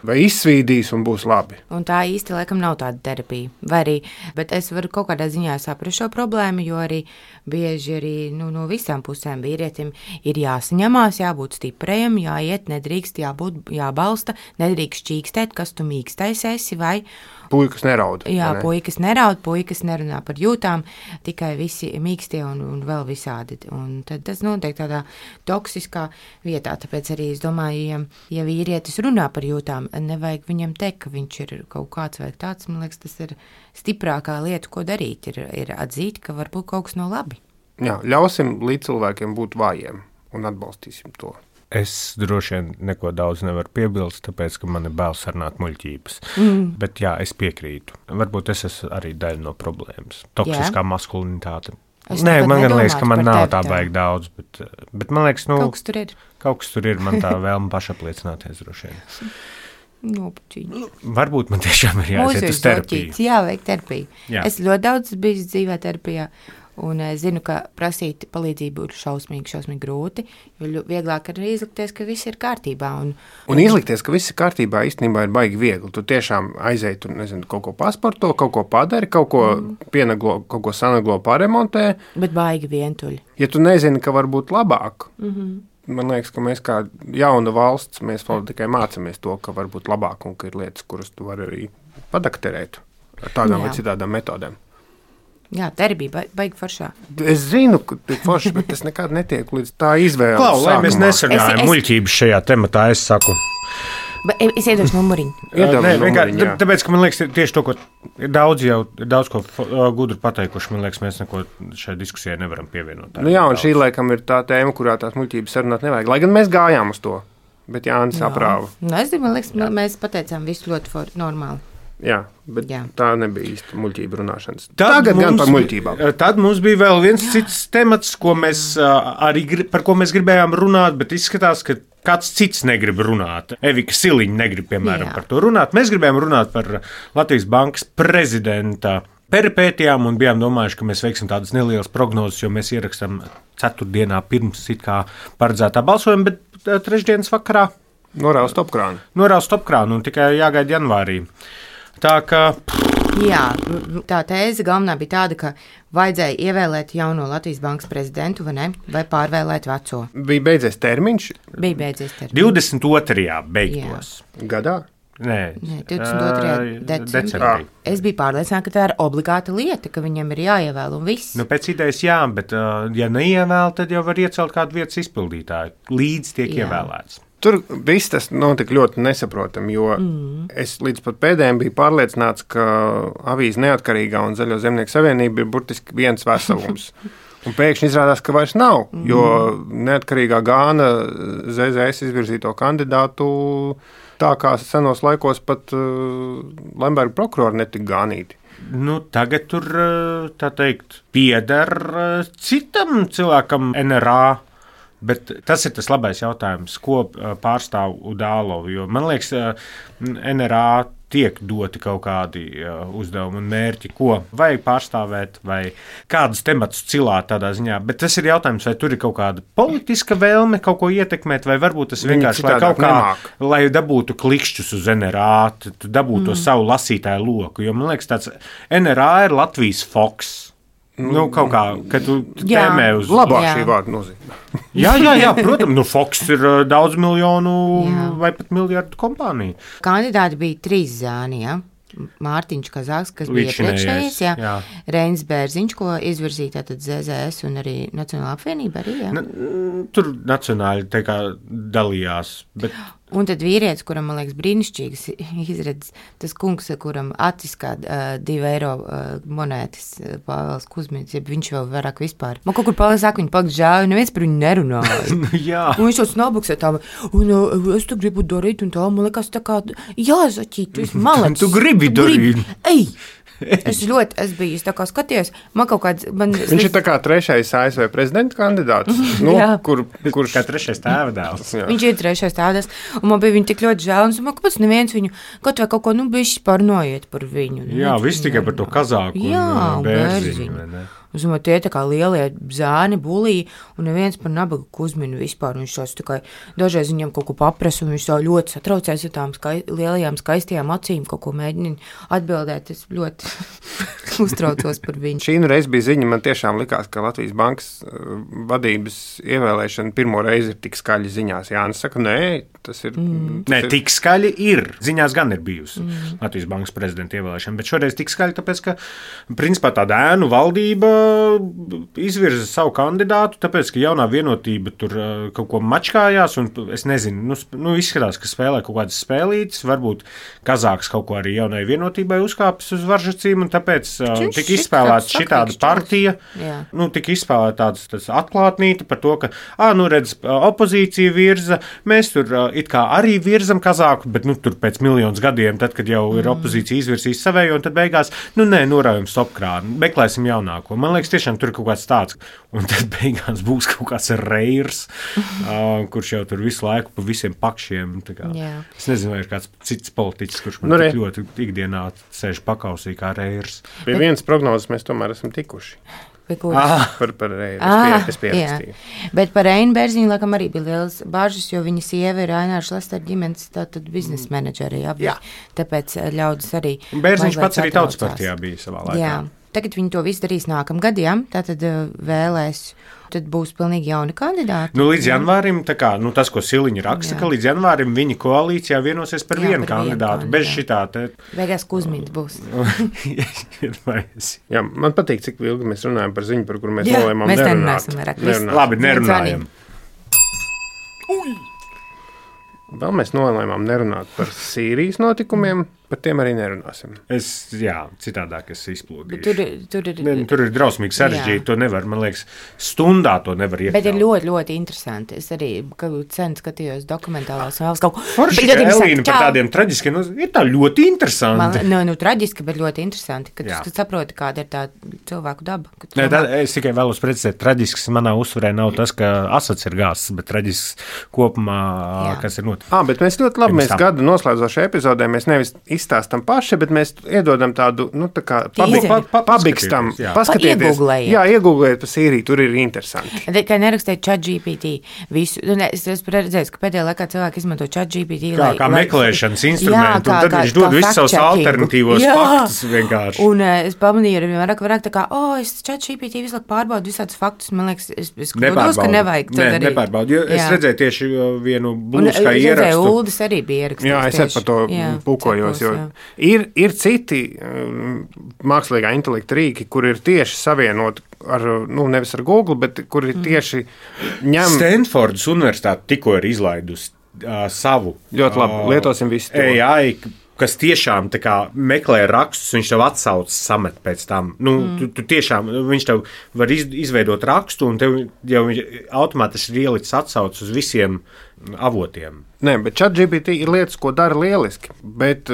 A: vai izsvīdīs un būs labi.
B: Un tā īsti laikam nav tāda terapija. Vai arī, bet es varu kaut kādā ziņā saprast šo problēmu, jo arī bieži arī nu, no visām pusēm vīrietim ir jāsaņemās, jābūt stiprajam, jāiet, nedrīkst, jābūt, jābalsta, nedrīkst čīkstēt, kas tu mīkstais esi vai...
A: Puikas neraud.
B: Jā,
A: ne?
B: puikas neraud, puikas nerunā par jūtām, tikai visi mīkstie un, un vēl visādi. Un tad tas notiek tādā toksiskā vietā, tāpēc arī es domāju, ja, ja vīrietis runā par jūtām, nevajag viņam teikt, ka viņš ir kaut kāds vai tāds, man liekas, tas ir stiprākā lieta, ko darīt, ir, ir atzīt, ka varbūt kaut kas nav labi.
A: Jā, ļausim līdz cilvēkiem būt vājiem un atbalstīsim to.
C: Es droši vien neko daudz nevaru piebilst, tāpēc, ka man ir bail sarunāt muļķības. Mm. Bet jā, es piekrītu. Varbūt es esmu arī daļa no problēmas. Toksiskā jā. Maskulinitāte. Es Nē, man gan liekas, ka man nav tā baigi daudz, bet, bet man liekas, nu...
B: Kaut kas tur ir.
C: Kaut kas tur ir, man tā vēlme pašapliecināties droši vien.
B: Nopuķīņi.
C: Varbūt man tiešām ir jāiet uz terapiju.
B: Jā, vajag terapiju.
C: Jā.
B: Es ļoti daudz biju dzīvē terapijā. Un es zinu, ka prasīt palīdzību ir šausmīgi, šausmīgi grūti, jo vieglāk arī izlikties, ka viss ir kārtībā. Un,
A: un, un izlikties, ka viss ir kārtībā, īstenībā ir baigi viegli. Tu tiešām aizēji, tu nezinu, kaut ko pasporto, kaut ko padari, kaut ko mm. pienaglo, kaut ko sanaglo paremontē.
B: Bet baigi vientuļi.
A: Ja tu nezini, ka var būt labāk,
B: mm-hmm.
A: man liekas, ka mēs kā jauna valsts, mēs vēl tikai mācamies to, ka var būt labāk un ka ir lietas, kuras tu vari arī padakterēt ar tādām Jā. Vai citādām metodēm.
B: Jā, terapija baigi foršā.
A: Es zinu, ka ir forši, bet es nekad netieku līdz tā izvēle.
C: Klau, lai mēs nesargājam es... muļķības šajā tematā, es saku.
B: Bet es iedošu numuriņu.
A: Nē, numuriņu,
C: tāpēc, ka man liekas, tieši to, ko ir daudz jau, ir daudz ko gudru pateikuši, man liekas, mēs neko šai diskusijai nevaram pievienot.
A: Nu jā, un šī laikam ir tā tēma, kurā tās muļķības sarunāt nevajag. Lai gan mēs gājām uz to, bet Jānis aprāva.
B: Nu, es domāju, man liekas, jā. Mēs pateicām visu ļoti for, normāli.
A: Jā, bet Jā. Tā nebija īsti muļķība runāšanas.
C: Tad
A: Tagad
C: mums,
A: gan par muļķībām.
C: Tad mums bija vēl viens Jā. Cits temats, ko mēs, arī, par ko mēs gribējām runāt, bet izskatās, ka kāds cits negrib runāt. Evika Siliņa negrib, piemēram, Jā. Par to runāt. Mēs gribējām runāt par Latvijas Bankas prezidenta peripētijām un bijām domājuši, ka mēs veiksim tādas nelielas prognozes, jo mēs ierakstām ceturtdienā pirms it kā paredzētā balsojuma, bet trešdienas vakarā
A: norāva stopkrānu.
C: Norāva stopkrānu un tikai jāgaida janvārī. Tā kā...
B: Jā, tā tēze galvenā bija tāda, ka vajadzēja ievēlēt jauno Latvijas Bankas prezidentu, vai ne? Vai pārvēlēt veco?
A: Bija beidzies termiņš?
B: Bija beidzies termiņš.
C: divdesmit otrajā beigtos.
A: Jā. Gadā?
C: Nē,
B: Nē divdesmit otrajā decembrī. Es biju pārliecināta, ka tā ir obligāta lieta, ka viņam ir jāievēl un viss.
C: Nu, pēc idejas jā, bet ja neievēl, tad jau var iecelt kādu vietas izpildītāju. Līdz tiek jā. Ievēlēts.
A: Tur viss tas notika ļoti nesaprotami, jo mm. es līdz pat pēdējiem biju pārliecināts, ka avīze Neatkarīgā un Zaļo zemnieku savienība ir burtiski viens veselums. Un pēkšņi izrādās, ka vairs nav, mm. jo Neatkarīgā gāna Z Z S izvirzīto kandidātu tā kā senos laikos pat uh, Lemberga prokurori netika gānīti.
C: Nu, tagad tur, tā teikt, pieder citam cilvēkam N R A. Bet tas ir tas labais jautājums, ko pārstāv Udālova, jo man liekas, N R A tiek doti kaut kādi uzdevumi un mērķi, ko vajag pārstāvēt, vai kādus tematus cilāt tādā ziņā. Bet tas ir jautājums, vai tur ir kaut kāda politiska vēlme kaut ko ietekmēt, vai varbūt tas vienkārši, lai kaut kā, nemāk. Lai dabūtu klikšķus uz N R A, dabūtu mm. to savu lasītāju loku, jo man liekas, tāds N R A ir Latvijas Fox. Nu, kaut kā, kad tu tēmē uz...
A: Labāk šī vārda nozīmē.
C: jā, jā, jā, protams, nu Fox ir daudz miljonu jā. Vai pat miljardu kompānija.
B: Kandidāti bija trīs zāni, jā. Mārtiņš Kazāks, kas bija iepriekšējais, jā. jā. Reinis Bērziņš, ko izvirzīja tātad Z Z S un arī Nacionāla apvienība arī, jā.
C: Na, tur nacionāli tā kā dalījās, bet...
B: Un tad vīrietis, kuram, man liekas, brīnišķīgas izredzes, tas kungs, kuram acis kā uh, divu eiro uh, monētas uh, Pāvels Kuzmins, ja viņš vēl vairāk vispār. Man kaut kur Pāvels saka, viņi pakt žāvi, neviens par viņu nerunāja.
C: jā.
B: Un viņš jau snabuksē tā, un uh, es tu gribu darīt, un tā, man liekas, tā kā, jā, Zaķīt, tu esi malets.
C: tu gribi darīt.
B: Ej! Es ļoti, es biju, es tā kā skatījos, man kaut kāds... Man,
A: viņš ir tā kā trešais A S V prezidenta kandidāts, nu, kur, kurš...
C: Kā trešais tēvdēls.
B: Viņš ir trešais tēvdēls, un man bija viņa tik ļoti žēl, un es domāju, kāpēc neviens viņu, kaut vai kaut ko, nu, bišķi pārnojiet par viņu.
C: Jā, viss tikai par to kazāku
B: Jā,
C: un bērziņu, vai ne?
B: Es domāju, tie tā kā lielie zēni bulī, un neviens par nabagu uzminu vispār. Viņš tās tikai dažreiz viņam kaut ko paprasa, un viņš tā ļoti satraucēs ar tām skai, lielajām skaistajām acīm, kaut ko mēģina atbildēt. Es ļoti uztraucos par viņu.
A: Šī nu reiz bija ziņa, man tiešām likās, ka Latvijas bankas vadības ievēlēšana pirmo reizi ir tik skaļi ziņās. Jānis saka, nē, tas ir...
C: Mm. Tas nē, ir... tik skaļi ir. Ziņās gan ir bijusi mm. Latvijas bankas prezidenta ievēlēšana, bet šoreiz tik skaļi, tāpēc, ka principā tāda ēnu valdība izvirza savu kandidātu, tāpēc, ka jaunā vienotība tur kaut ko mačkājās, un es nezinu, nu, nu izskatās, ka spēlē kaut kādas spēlītes, varbūt kazāks kaut ko arī jaunai vienotībai uzkāpis uz varžacīm, un tāpēc Čuš, tika izspēlēta šitāda partija, jā. Nu, tika izspēlēta tāds atklātnīte par to, ka, ā, nu redz, opozīcija virza, mēs tur it kā arī virzam kazāku, bet, nu, tur pēc miljonus gadiem, tad, kad jau ir opozīcija izvirsīs savējo, un tad beigās, nu, nē, norājam stopkrānu, meklēsim jaunāko. Man liekas, tiešām tur ir kaut kāds tāds, un tad beigās būs kaut kāds reirs, uh, kurš jau tur visu laiku pa visiem pakšiem. Es nezinu, vai ir kāds cits politiķis, kurš man nu, tik ļoti ikdienā sēž pakausī kā reirs.
A: Pie Bet... vienas prognozes mēs tomēr esam tikuši. Ah, par par reiru.
B: Ah,
A: es pierakstīju.
B: Bet par Reinu Bērziņu laikam arī bija liels bāžas, jo viņa sieva ir Ainārs Lester ģimenes tātad biznesa menedžeri. Jā. Tāpēc ļaudis arī...
C: Bērziņš pats arī Tautas partijā bija savā laikā.
B: Jā. Tagad viņi to visu darīs nākamgad, jā, tātad vēlēs, tad būs pilnīgi jauni kandidāti.
C: Nu, līdz janvārim, tā kā, nu, tas, ko Siliņa raksta, jā. Ka līdz janvārim viņi koalīcijā vienosies par jā, vienu par kandidātu, vienu, bez jā. Šitā te...
B: Beigās Kuzmins būs.
A: Jā, man patīk, cik ilgi mēs runājam par ziņu, par kuru mēs nolēmām
B: nerunāt.
A: Mēs
B: nerunāt.
C: Labi, nerunājam.
A: Uj! Vēl mēs nolēmām nerunāt par Sīrijas notikumiem, par tiem arī nerunāsim.
C: Es, jā, citādāk es izplūdīšu.
B: Tur, tur, ir,
C: ne, tur ir drausmīgi sarežģīti, to nevar, man liekas, stundā to nevar iekļaut.
B: Bet ir ļoti, ļoti interesanti. Es arī sen skatījos dokumentālās un vēl kaut ko.
C: Forši, ka Elīna par tādiem traģiskiem, nu, ir tā ļoti interesanti.
B: Man, nu, nu, traģiski, bet ļoti interesanti, kad tu saproti, kāda ir tā cilvēku daba.
C: Ne, tā, es tikai vēlos precizēt, traģisks manā uzsvarē nav tas, ka asats ir gāzs, bet traģisks kopumā, jā. Kas ir noticis.
A: Ah, bet mēs ļoti labi, mēs gada noslēdzošajā epizodē, mēs nevis izstāstam paši, bet mēs iedodam tādu, nu, tā kā pabi, pa, pa, pabikstam, paskatieties. Jā, iegūglējiet par Sīriju, tur ir interesanti.
B: Kā nerakstēt ChatGPT visu, ne, es esmu redzējis, ka pēdējā laikā cilvēki izmanto ChatGPT.
C: Kā, kā lai, meklēšanas instrumentu, jā, kā, un tad kā, viņš dod visus savus alternatīvos jā. Faktus vienkārši.
B: Un es pamanīju, arī vairāk, vairāk tā kā, o, oh, es ChatGPT visu laiku pārbaudu visādus faktus, man liekas, es, es kļūdos, ka nevajag.
C: Ne, nepārbaudu, jo es redzēju tieši vienu blūzkā ierakstu.
B: Uldis arī bija ierakstījis.
A: Jā, es arī par to jā, pūkojos, jo ir, ir citi um, mākslīgā intelekta rīki, kur ir tieši savienoti ar, nu, nevis ar Google, bet kur ir tieši ņem...
C: Stanfordas universitāte tikko ir izlaidusi uh, savu.
A: Ļoti labi, uh, lietosim visu to.
C: A I, kas tiešām tā kā meklē rakstus, viņš tev atsauc samet pēc tam. Nu, mm. tu, tu tiešām, viņš tev var iz, izveidot rakstu, un tev jau automātiski ir ielicis atsauc uz visiem avotiem.
A: Nē, bet ChatGPT ir lietas, ko dara lieliski, bet,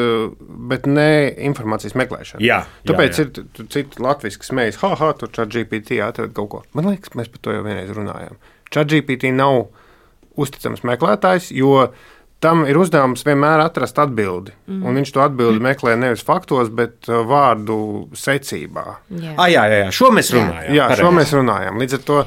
A: bet ne informācijas meklēšana.
C: Jā,
A: tāpēc
C: jā, jā.
A: ir citi latviski smējas, ha, ha, tur ChatGPT atrod kaut ko. Man liekas, mēs par to jau vienreiz runājām. ChatGPT nav uzticams meklētājs, jo tam ir uzdevums vienmēr atrast atbildi. Mm. Un viņš to atbildi meklē nevis faktos, bet vārdu secībā.
B: Jā,
C: ah, jā, jā, jā. Šo mēs runājām.
A: Jā, jā šo mēs runājām. Līdz ar to,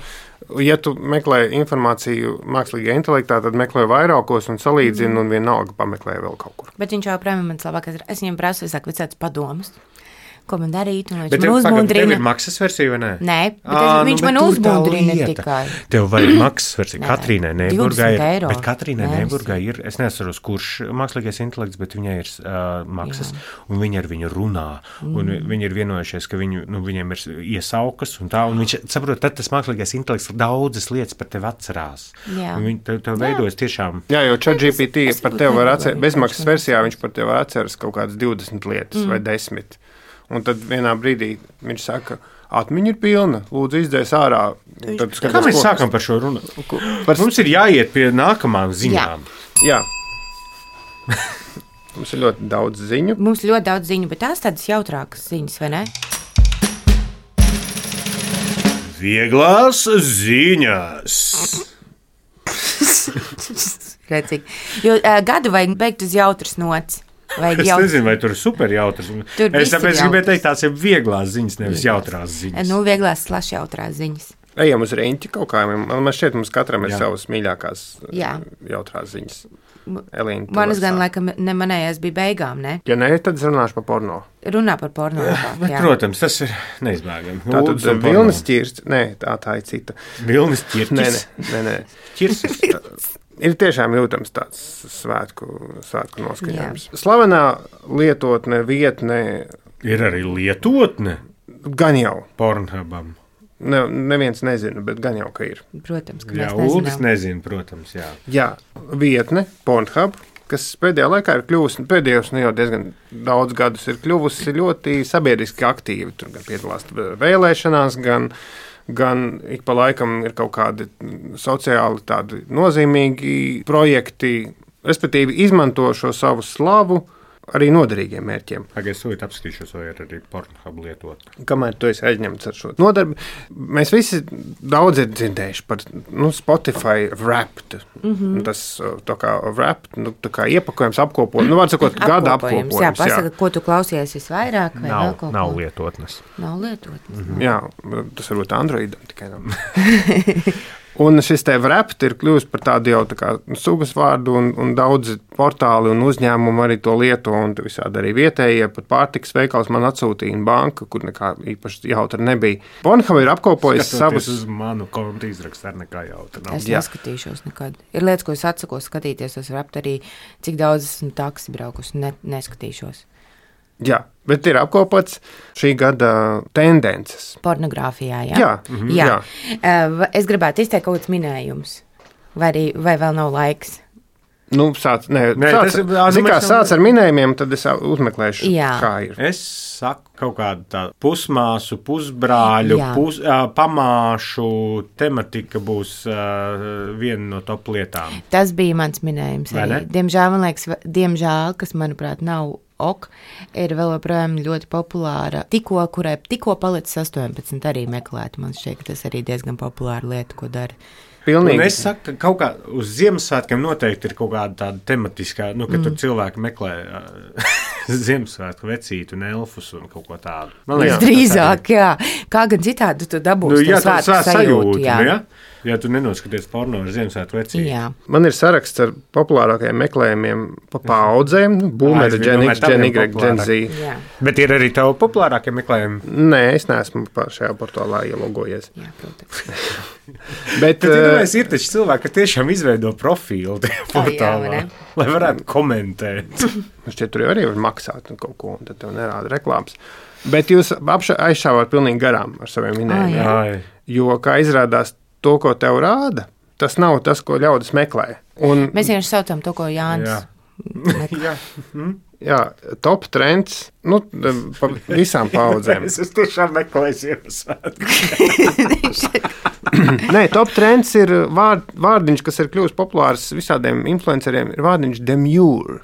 A: ja tu meklē informāciju mākslīgajā intelektā, tad meklē vairākos un salīdzina mm. un vienalga pameklē vēl kaut kur.
B: Bet viņš jau prēmē man labākais. Es viņam prasu visāk visāds padomus. Ko man darīt, un viņš
C: bet
B: man uzmundrina.
C: Tev ir maksas versija, vai ne?
B: Nē, bet à, viņš nu, bet man uzmundrina tikai.
C: Tev vajag maksas versija. Katrīnai Neiburgai ir, bet Katrīnai Neiburgai ir, es nesaros, kurš mākslīgais intelekts, bet viņai ir uh, maksas, jā. Un viņi ar viņu runā, mm. un viņi ir vienojušies, ka viņu, nu, viņiem ir iesaukas, un tā, un viņš, saprot, tad tas mākslīgais intelekts daudzas lietas par tevi atcerās. Jā. Un viņi tev, tev veidojas tiešām.
A: Jā, jo ChatGPT par tevi var atcerēt, bezmaksas versijā viņš par tevi atceras kaut kādas divdesmit lietas mm. vai desmit. Un tad vienā brīdī viņš saka, atmiņa ir pilna, lūdzu izdzēs ārā. Tad
C: skatās, kā mēs ko... sākam par šo runu? Par... Mums ir jāiet pie nākamām ziņām.
A: Jā. Jā. Mums ir ļoti daudz ziņu.
B: Mums ir ļoti daudz ziņu, bet tās tādas jautrākas ziņas, vai ne?
C: Vieglās ziņas.
B: Redzīgi. Jo uh, gadu vajag beigt uz jautras nots. Vajag
C: Es
B: jautras.
C: nezinu, vai tur ir super jautras.
B: Tur
C: Es
B: viss ir
C: tāpēc gribēju
B: jautras.
C: teikt, tās ir vieglās ziņas, nevis jautrās ziņas.
B: Nu, vieglās slaš jautrās ziņas.
A: Ejam uz riņķi kaut kā. Man, man šķiet, mums katram ir
C: Jā.
A: savas mīļākās
B: Jā.
A: jautrās ziņas. Elīna, tu
B: Manas
A: vari
B: gan
A: sākt.
B: laikam ne manējās bija beigām, ne?
A: Ja nē, tad es runāšu par porno.
B: Runā par porno. labāk,
C: Bet,
B: jā.
C: protams, tas ir neizbēgami.
A: Tā tad vilnas ķirsts. Nē, tā, tā ir cita.
C: Vilnis
A: Nē, nē,
C: ķirtis.
A: nē, nē.
C: Ķirsis.
A: Ir tiešām jūtams tāds svētku, svētku noskaņojums. Slavenā lietotne, vietne,
C: Ir arī lietotne
A: gan jau.
C: Pornhubam.
A: Ne, neviens nezina, bet gan jau, ka ir.
B: Protams, ka
C: Jā,
B: mēs
C: Uldis
B: nezinām.
C: nezina, protams, jā.
A: Jā, vietne, Pornhub, kas pēdējā laikā ir kļuvusi, pēdējos nu jau diezgan daudz gadus ir kļuvusi ļoti sabiedriski aktīva. Tur gan piedalās vēlēšanās, gan, gan ik pa laikam ir kaut kādi sociāli tādi nozīmīgi projekti, respektīvi izmanto šo savu slavu arī noderīgiem mērķiem.
C: Tagad es tūlīt apskatīšos, vai ir arī Pornhub lietot.
A: Kamēr tu esi aizņemts ar šo nodarbi, mēs visi daudz ir dzirdējuši par nu, Spotify Wrapped. Mm -hmm. Tas tā kā Wrapped, nu, tā kā iepakojums, apkopojums, nu, var sakot, gada apkopojums.
B: Jā, pasaka, ko tu klausies visvairāk vai vēl
C: Nav,
B: kaut
C: nav
B: ko?
C: lietotnes.
B: Nav lietotnes. Mm -hmm.
A: Jā, tas varbūt Androidam tikai nav. Un šis te Wrapped ir kļuvis par tādu jau tā kā sugas vārdu, un, un daudzi portāli un uzņēmumi arī to lieto, un visādi arī vietējie, pat pārtikas veikals man atsūtīja banka, kur nekā īpaši jautra nebija. Pornhub ir apkopojis
C: Skatoties
A: savus...
C: uz manu kontu izrakstu, ar nekā jautra nav.
B: Es
A: Jā.
B: neskatīšos nekad. Ir lietas, ko es atsakos skatīties, es varu arī, cik daudz esmu taksi braukusi, ne, neskatīšos.
A: Jā, bet ir apkopots šī gada tendences.
B: Pornogrāfijā, jā?
A: Jā, mhm,
B: jā.
A: jā.
B: jā. Es gribētu izteikt kaut kāds minējums, vai, arī, vai vēl nav laiks.
A: Nu, sāc, nē,
C: Nē,
A: sāc,
C: tas ir-
A: zini, kā
C: mēs jau-
A: sāc ar minējumiem, tad es uzmeklēšu,
B: Jā.
A: kā ir.
C: Es saku kaut kādu tādu pusmāsu, pusbrāļu,
B: Jā.
C: pus, uh, pamāšu tematika būs uh, viena no top lietām.
B: Tas bija mans minējums.
C: Vai
B: Arī.
C: ne?
B: Diemžēl, man liekas, va- diemžēl, kas manuprāt nav ok, ir vēl joprojām ļoti populāra. Tikko, kurai tikko palicis astoņpadsmit, arī meklēt. Man šķiet, ka tas arī diezgan populāra lieta, ko dara.
C: Un
A: Pilnīgi.
C: es saku, ka kaut kā uz Ziemassvētkiem noteikti ir kaut kāda tāda tematiskā, nu, ka mm. tur cilvēki meklē uh, Ziemassvētku vecītu un elfus un kaut ko tādu. Man
A: Jā.
C: tas
B: Drīzāk, jā. Kā gan citādi tu
C: arī-
B: dabūsi
C: Nu,
B: to
C: jā, tā
B: svētku
C: ir
B: sajūtu.
C: sajūta, nu, ja? Ja tu nenoskaties porno ar Ziemassvētku vecītu.
B: Jā.
A: Man ir saraksts ar populārākajiem meklējumiem pa paudzēm. Boomer,
C: Ah, es
A: Gen
C: domāju,
A: X, Gen
C: taviem
A: Y, Gen Z.
B: Jā.
C: Bet ir arī tavi populārākie meklējumi.
A: Nē, es neesmu pa šajā portālā ielogojies.
B: Jā, protams.
A: Bet,
C: Bet
A: eh,
C: iedomājies, ir taču cilvēki, kas tiešām izveido profilu tajā
B: jā,
C: portālā,
B: vai ne?
C: lai varētu komentēt.
A: šķiet, tur jau arī var maksāt un kaut ko, un tad tev nerāda reklāmas. Bet jūs apša- aizšāvāt pilnīgi garām ar saviem minējumiem.
C: Ai.
A: Jo, kā izrādās, to, ko tev rāda, tas nav tas, ko ļaudis meklē. Un,
B: Mēs vienkārši saucam to, ko Jānis.
C: Jā. Jā.
A: jā, top trends, nu, pa visām paudzēm.
C: Es esmu tiešām meklējis Ziemassvētku.
A: Nē, top trends ir vārd, vārdiņš, kas ir kļuvis populārs visādiem influenceriem, ir vārdiņš demure.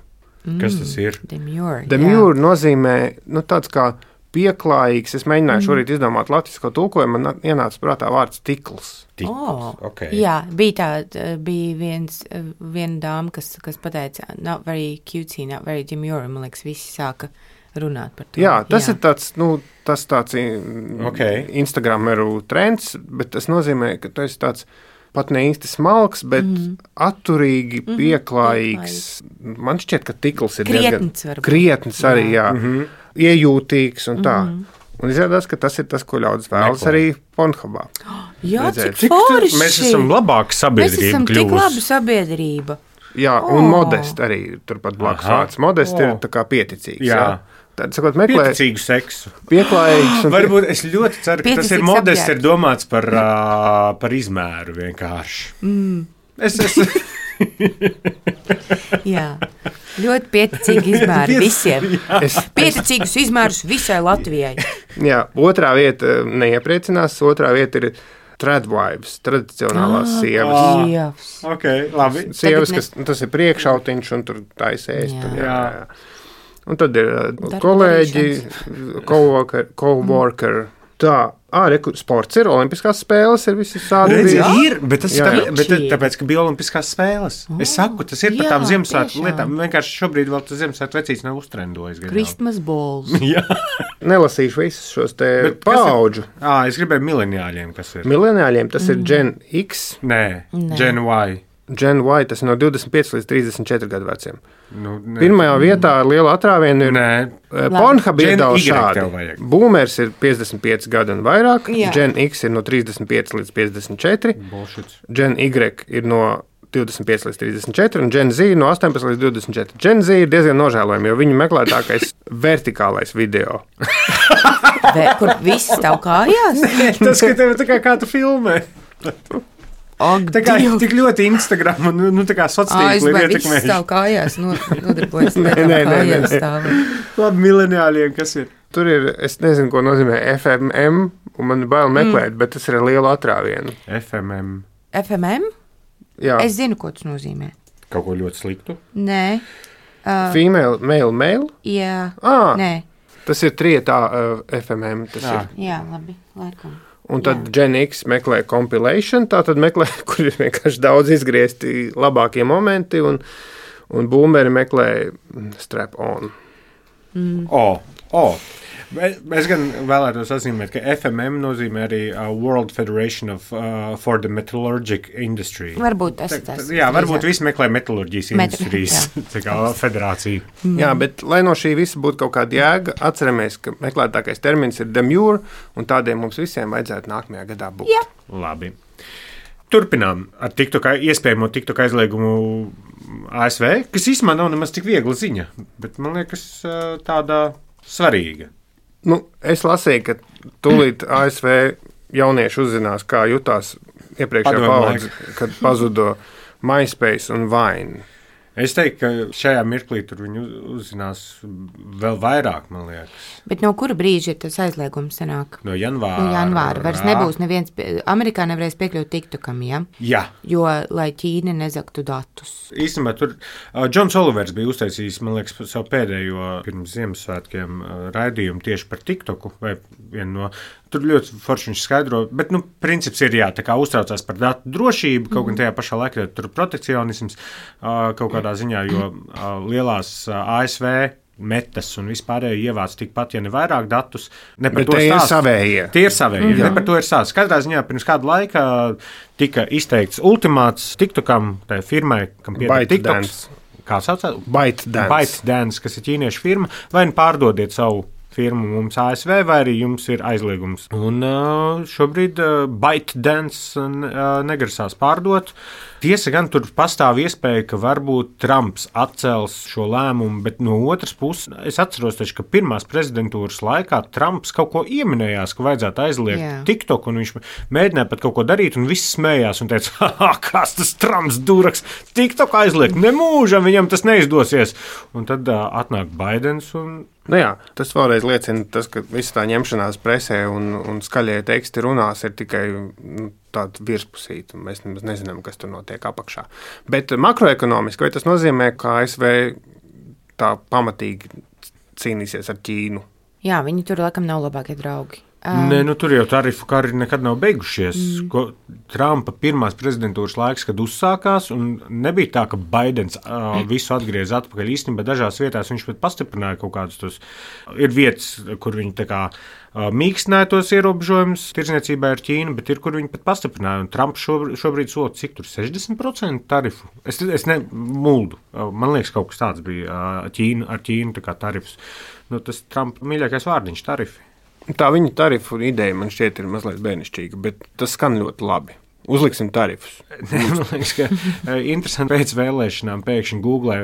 C: Kas tas ir?
B: Demure.
A: Demure nozīmē, nu, tāds kā pieklājīgs. Es mēģināju mm. šorīt izdomāt latvisko tulkojumu, man ienāca prātā vārds tikls.
B: Oh,
C: okay.
B: Jā, bija tāda, bija viens, viena dāma, kas, kas pateica, not very cutesy, not very demure, man liekas, visi sāka runāt par to.
A: Jā, tas jā. ir tāds, nu, tas tāds
C: Okay.
A: Instagrameru trends, bet tas nozīmē, ka tu esi tāds pat ne īsti smalks, bet mm. atturīgi, mm-hmm. pieklājīgs. Man šķiet, ka tikls ir
B: Krietns
A: diezgan
B: varbūt.
A: krietns arī, jā,
C: Mhm.
A: iejūtīgs un tā.
B: Mhm.
A: Un izrādās, ka tas ir tas, ko ļaudis vēlas
C: Meklē.
A: arī Pornhubā.
B: Jā,
A: Redzēt.
B: cik forši.
C: Mēs esam labāka
B: Mēs
C: sabiedrība
B: esam tik
C: kļuvusi.
B: laba sabiedrība.
A: Jā,
B: Oh.
A: un modest arī turpat blakus
C: Aha.
A: vārds. Modest
C: Oh.
A: ir tā kā pieticīgs. Jā.
C: Jā.
A: Tad, sakot, meklē
C: Pieticīgu seksu.
A: pieklājīgs un
C: Varbūt es ļoti ceru, ka tas ir
B: Pieticīgs
C: modests, ir
B: apģērbs.
C: domāts par, uh, par izmēru vienkārši. Mm. Es esmu.
B: Jā, ļoti pieticīgi izmēri visiem.
A: es,
B: Pieticīgus izmērus visai Latvijai.
A: jā, otrā vieta neiepriecinās, otrā vieta ir tradwives, tradicionālās
B: Ah,
A: sievas.
B: oh. Dievs.
C: Ok, labi.
A: Sievas,
B: Tagad
A: kas, tas ir priekšautiņš un tur taisēs.
B: Jā.
A: Tur, jā,
C: Jā.
A: jā. Un tad ir uh,
B: Darba
A: kolēģi, coworker, coworker. Tā, arī sports ir, olimpiskās spēles ir visi sādi.
C: Redzi, ir, bet tas
A: Jā,
C: ir
A: jā.
C: tā, bet, tāpēc, ka bija olimpiskās spēles.
B: Oh,
C: Es saku, tas ir par
B: jā,
C: tām Ziemassvētku
B: tiešām.
C: lietām. Vienkārši šobrīd vēl tas Ziemassvētku vecīts nav uztrendojis. gan jau.
B: Christmas balls.
C: Jā.
A: Nelasīšu visus šos te
C: Bet kas ir-
A: paudžu.
C: Ā, es gribēju mileniāļiem, kas ir.
A: Mileniāļiem tas ir Gen X,
C: Nē,
B: Nē.
C: Gen Y.
A: Gen Y, tas ir no divdesmit pieci līdz trīsdesmit četri gadu veciem.
C: Nu, nē.
A: Pirmajā vietā ar lielu atrāvienu ir
C: Nē,
A: Pornhub ir
C: Gen
A: daudz
C: Y tev
A: šādi.
C: vajag.
A: Boomers ir piecdesmit pieci gadi un vairāk,
B: Jā.
A: Gen X ir no trīsdesmit pieci līdz piecdesmit četri,
C: bullshit.
A: Gen Y ir no divdesmit pieci līdz trīsdesmit četri un Gen Z no astoņpadsmit līdz divdesmit četri. Gen Z ir diezgan nožēlojami, jo viņu meklētākais vertikālais video.
B: Vē, kur viss stāv kājās?
C: Tas, ka tev tā kā, kā tu filmē.
B: Ak,
C: Tā kā
B: Dievs.
C: tik ļoti Instagram un nu, tā kā sociāli ir
B: Aizbai, viss
C: ietekmējuši.
B: stāv kājās, no, nodarbojas
A: Nē,
B: lietām
A: nē, nē, nē,
B: kājās
A: nē.
B: stāv.
C: Labi, mileniāļiem, kas ir?
A: Tur ir, es nezinu, ko nozīmē F M M, un man ir bail meklēt, mm. bet tas ir ar lielu atrāvienu.
C: F M M.
B: F M M?
A: Jā,
B: Es zinu, ko tas nozīmē.
C: Kaut ko ļoti sliktu.
B: Nē. Uh,
A: female, male, male.
B: jā.
A: Ah,
B: Nē.
A: tas ir trietā uh, F M M. Tas
C: Jā.
A: ir.
B: Jā, labi, laikam.
A: Un tad Gen X meklē compilation, tā tad meklē, kur ir vienkārši daudz izgriezti labākie momenti, un, un boomeri meklē strap on.
B: Mm.
C: O, o. Es es gan vēlētos atzīmēt, ka F M M nozīmē arī uh, World Federation of, uh, for the Metallurgic Industry.
B: Varbūt tas
C: Tā-
B: ir tas.
C: Jā, varbūt visi meklē metalurģijas
B: Metru-
C: industrijas tā kā federācija.
B: Mm.
A: Jā, bet lai no šī visa būtu kaut kāda jēga, atceramies, ka meklētākais termins ir demure, un tādiem mums visiem vajadzētu nākamajā gadā būt.
B: Jā.
C: Labi. Turpinām ar TikTok, iespējamo TikTok aizliegumu A S V, kas īstenībā nav nemaz tik viegla ziņa, bet man liekas uh, tāda svarīga.
A: Nu, es lasīju, ka tūlīt A S V jaunieši uzzinās, kā jutās iepriekšējā
C: Padomu
A: paudze, kad pazuda MySpace un Vine.
C: Es teiktu, ka šajā mirklī tur viņi uz- uzzinās vēl vairāk, man liekas.
B: Bet no kura brīža ir tas aizliegums sanāk?
C: No janvāra.
B: No janvāra vairs nebūs neviens, pie- Amerikā nevarēs piekļūt TikTokam, ja?
C: Jā.
B: Jo, lai Ķīna nezaktu datus.
C: Īstenībā tur uh, Džons Olivers bija uztaisījis, man liekas, savu pēdējo pirms Ziemassvētkiem uh, raidījumu tieši par TikToku. Vai vienu no, tur ļoti forši viņš skaidro, bet, nu, princips ir jā, tā kā uztraucās par datu drošību, kaut gan tajā pašā laikā tur protekcionisms uh, kaut kādā ziņā, jo uh, lielās uh, A S V metas un vispārēji ievāc tikpat, ja ne vairāk datus. Ne par
A: Bet
C: to
A: tie ir
C: stāst.
A: savējie.
C: Tie ir savējie, mm -hmm. ne par to ir stāsts. Katrā ziņā pirms kāda laika tika izteikts ultimāts TikTokam, tai firmai, kam pieder TikToks. Kā saucās?
A: ByteDance.
C: ByteDance, kas ir ķīniešu firma, vai nu pārdodiet savu firmu mums A S V, vai arī jums ir aizliegums. Un uh, šobrīd uh, ByteDance uh, negrasās pārdot. Tiesa gan tur pastāv iespēja, ka varbūt Trumps atcels šo lēmumu, bet no otras puses es atceros, taču, ka pirmās prezidentūras laikā Trumps kaut ko ieminējās, ka vajadzētu aizliegt
B: Jā.
C: TikTok, un viņš mēģināja pat kaut ko darīt, un viss smējās un teica, ha, kas tas Trumps duraks, TikTok aizliegt, nemūžam viņam tas neizdosies. Un tad uh, atnāk Baidens un
A: Nu jā, tas vēlreiz liecina, tas, ka visa tā ņemšanās presē un, un skaļie teksti runās ir tikai nu, tāda virspusīta. Mēs nemaz nezinām, kas tur notiek apakšā. Bet makroekonomiski, vai tas nozīmē, ka A S V tā pamatīgi cīnīsies ar Ķīnu?
B: Jā, viņi tur laikam nav labākie draugi.
C: Nē, nu, tur jau tarifu kari nekad nav beigušies. Mm. Ko, Trumpa pirmās prezidentūras laiks, kad uzsākās, un nebija tā, ka Baidens uh, visu atgriez atpakaļ. Īstenībā dažās vietās viņš pat pastiprināja kaut kādus tos. Ir vietas, kur viņi tā kā uh, mīkstināja tos ierobežojumus tirzniecībai ar Ķīnu, bet ir, kur viņi pat pastiprināja. Un Trumps šobrīd, šobrīd sola cik tur sešdesmit procenti tarifu. Es, es nemuldu. Uh, man liekas, kaut kas tāds bija uh, Ķīna, ar Ķīnu tā kā tarifs. Nu, tas Trumpa mīļākais vārdiņš - tarifi.
A: Tā viņa tarifu ideja man šķiet ir mazliet bērnišķīga, bet tas skan ļoti labi. Uzliksim tarifus.
C: Man liekas, ka interesanti pēc vēlēšanām pēkšņi Google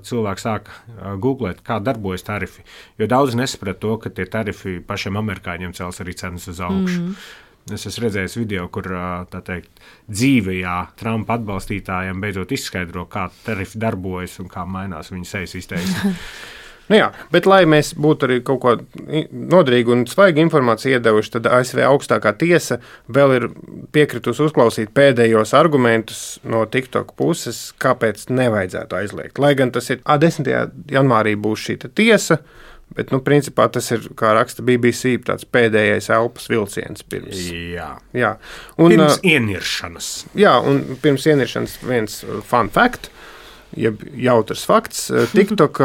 C: cilvēki sāk googlēt, kā darbojas tarifi. Jo daudz nesaprata to, ka tie tarifi pašiem amerikāņiem cels arī cenas uz augšu. Mm. Es esmu redzējis video, kur tā teikt, dzīvajā Trumpa atbalstītājiem beidzot izskaidro, kā tarifi darbojas un kā mainās viņu sejas izteiksme.
A: Nu jā, bet, lai mēs būtu arī kaut ko noderīgu un svaigu informāciju iedevuši, tad A S V augstākā tiesa vēl ir piekritusi uzklausīt pēdējos argumentus no TikTok puses, kāpēc nevajadzētu aizliegt. Lai gan tas ir desmitajā janvārī būs šī tiesa, bet, nu, principā tas ir, kā raksta B B C, tāds pēdējais elpas vilciens pirms.
C: Jā.
A: Jā. Un,
C: pirms ieniršanas.
A: Jā, un pirms ieniršanas viens fun fact, jeb jautrs fakts, TikTok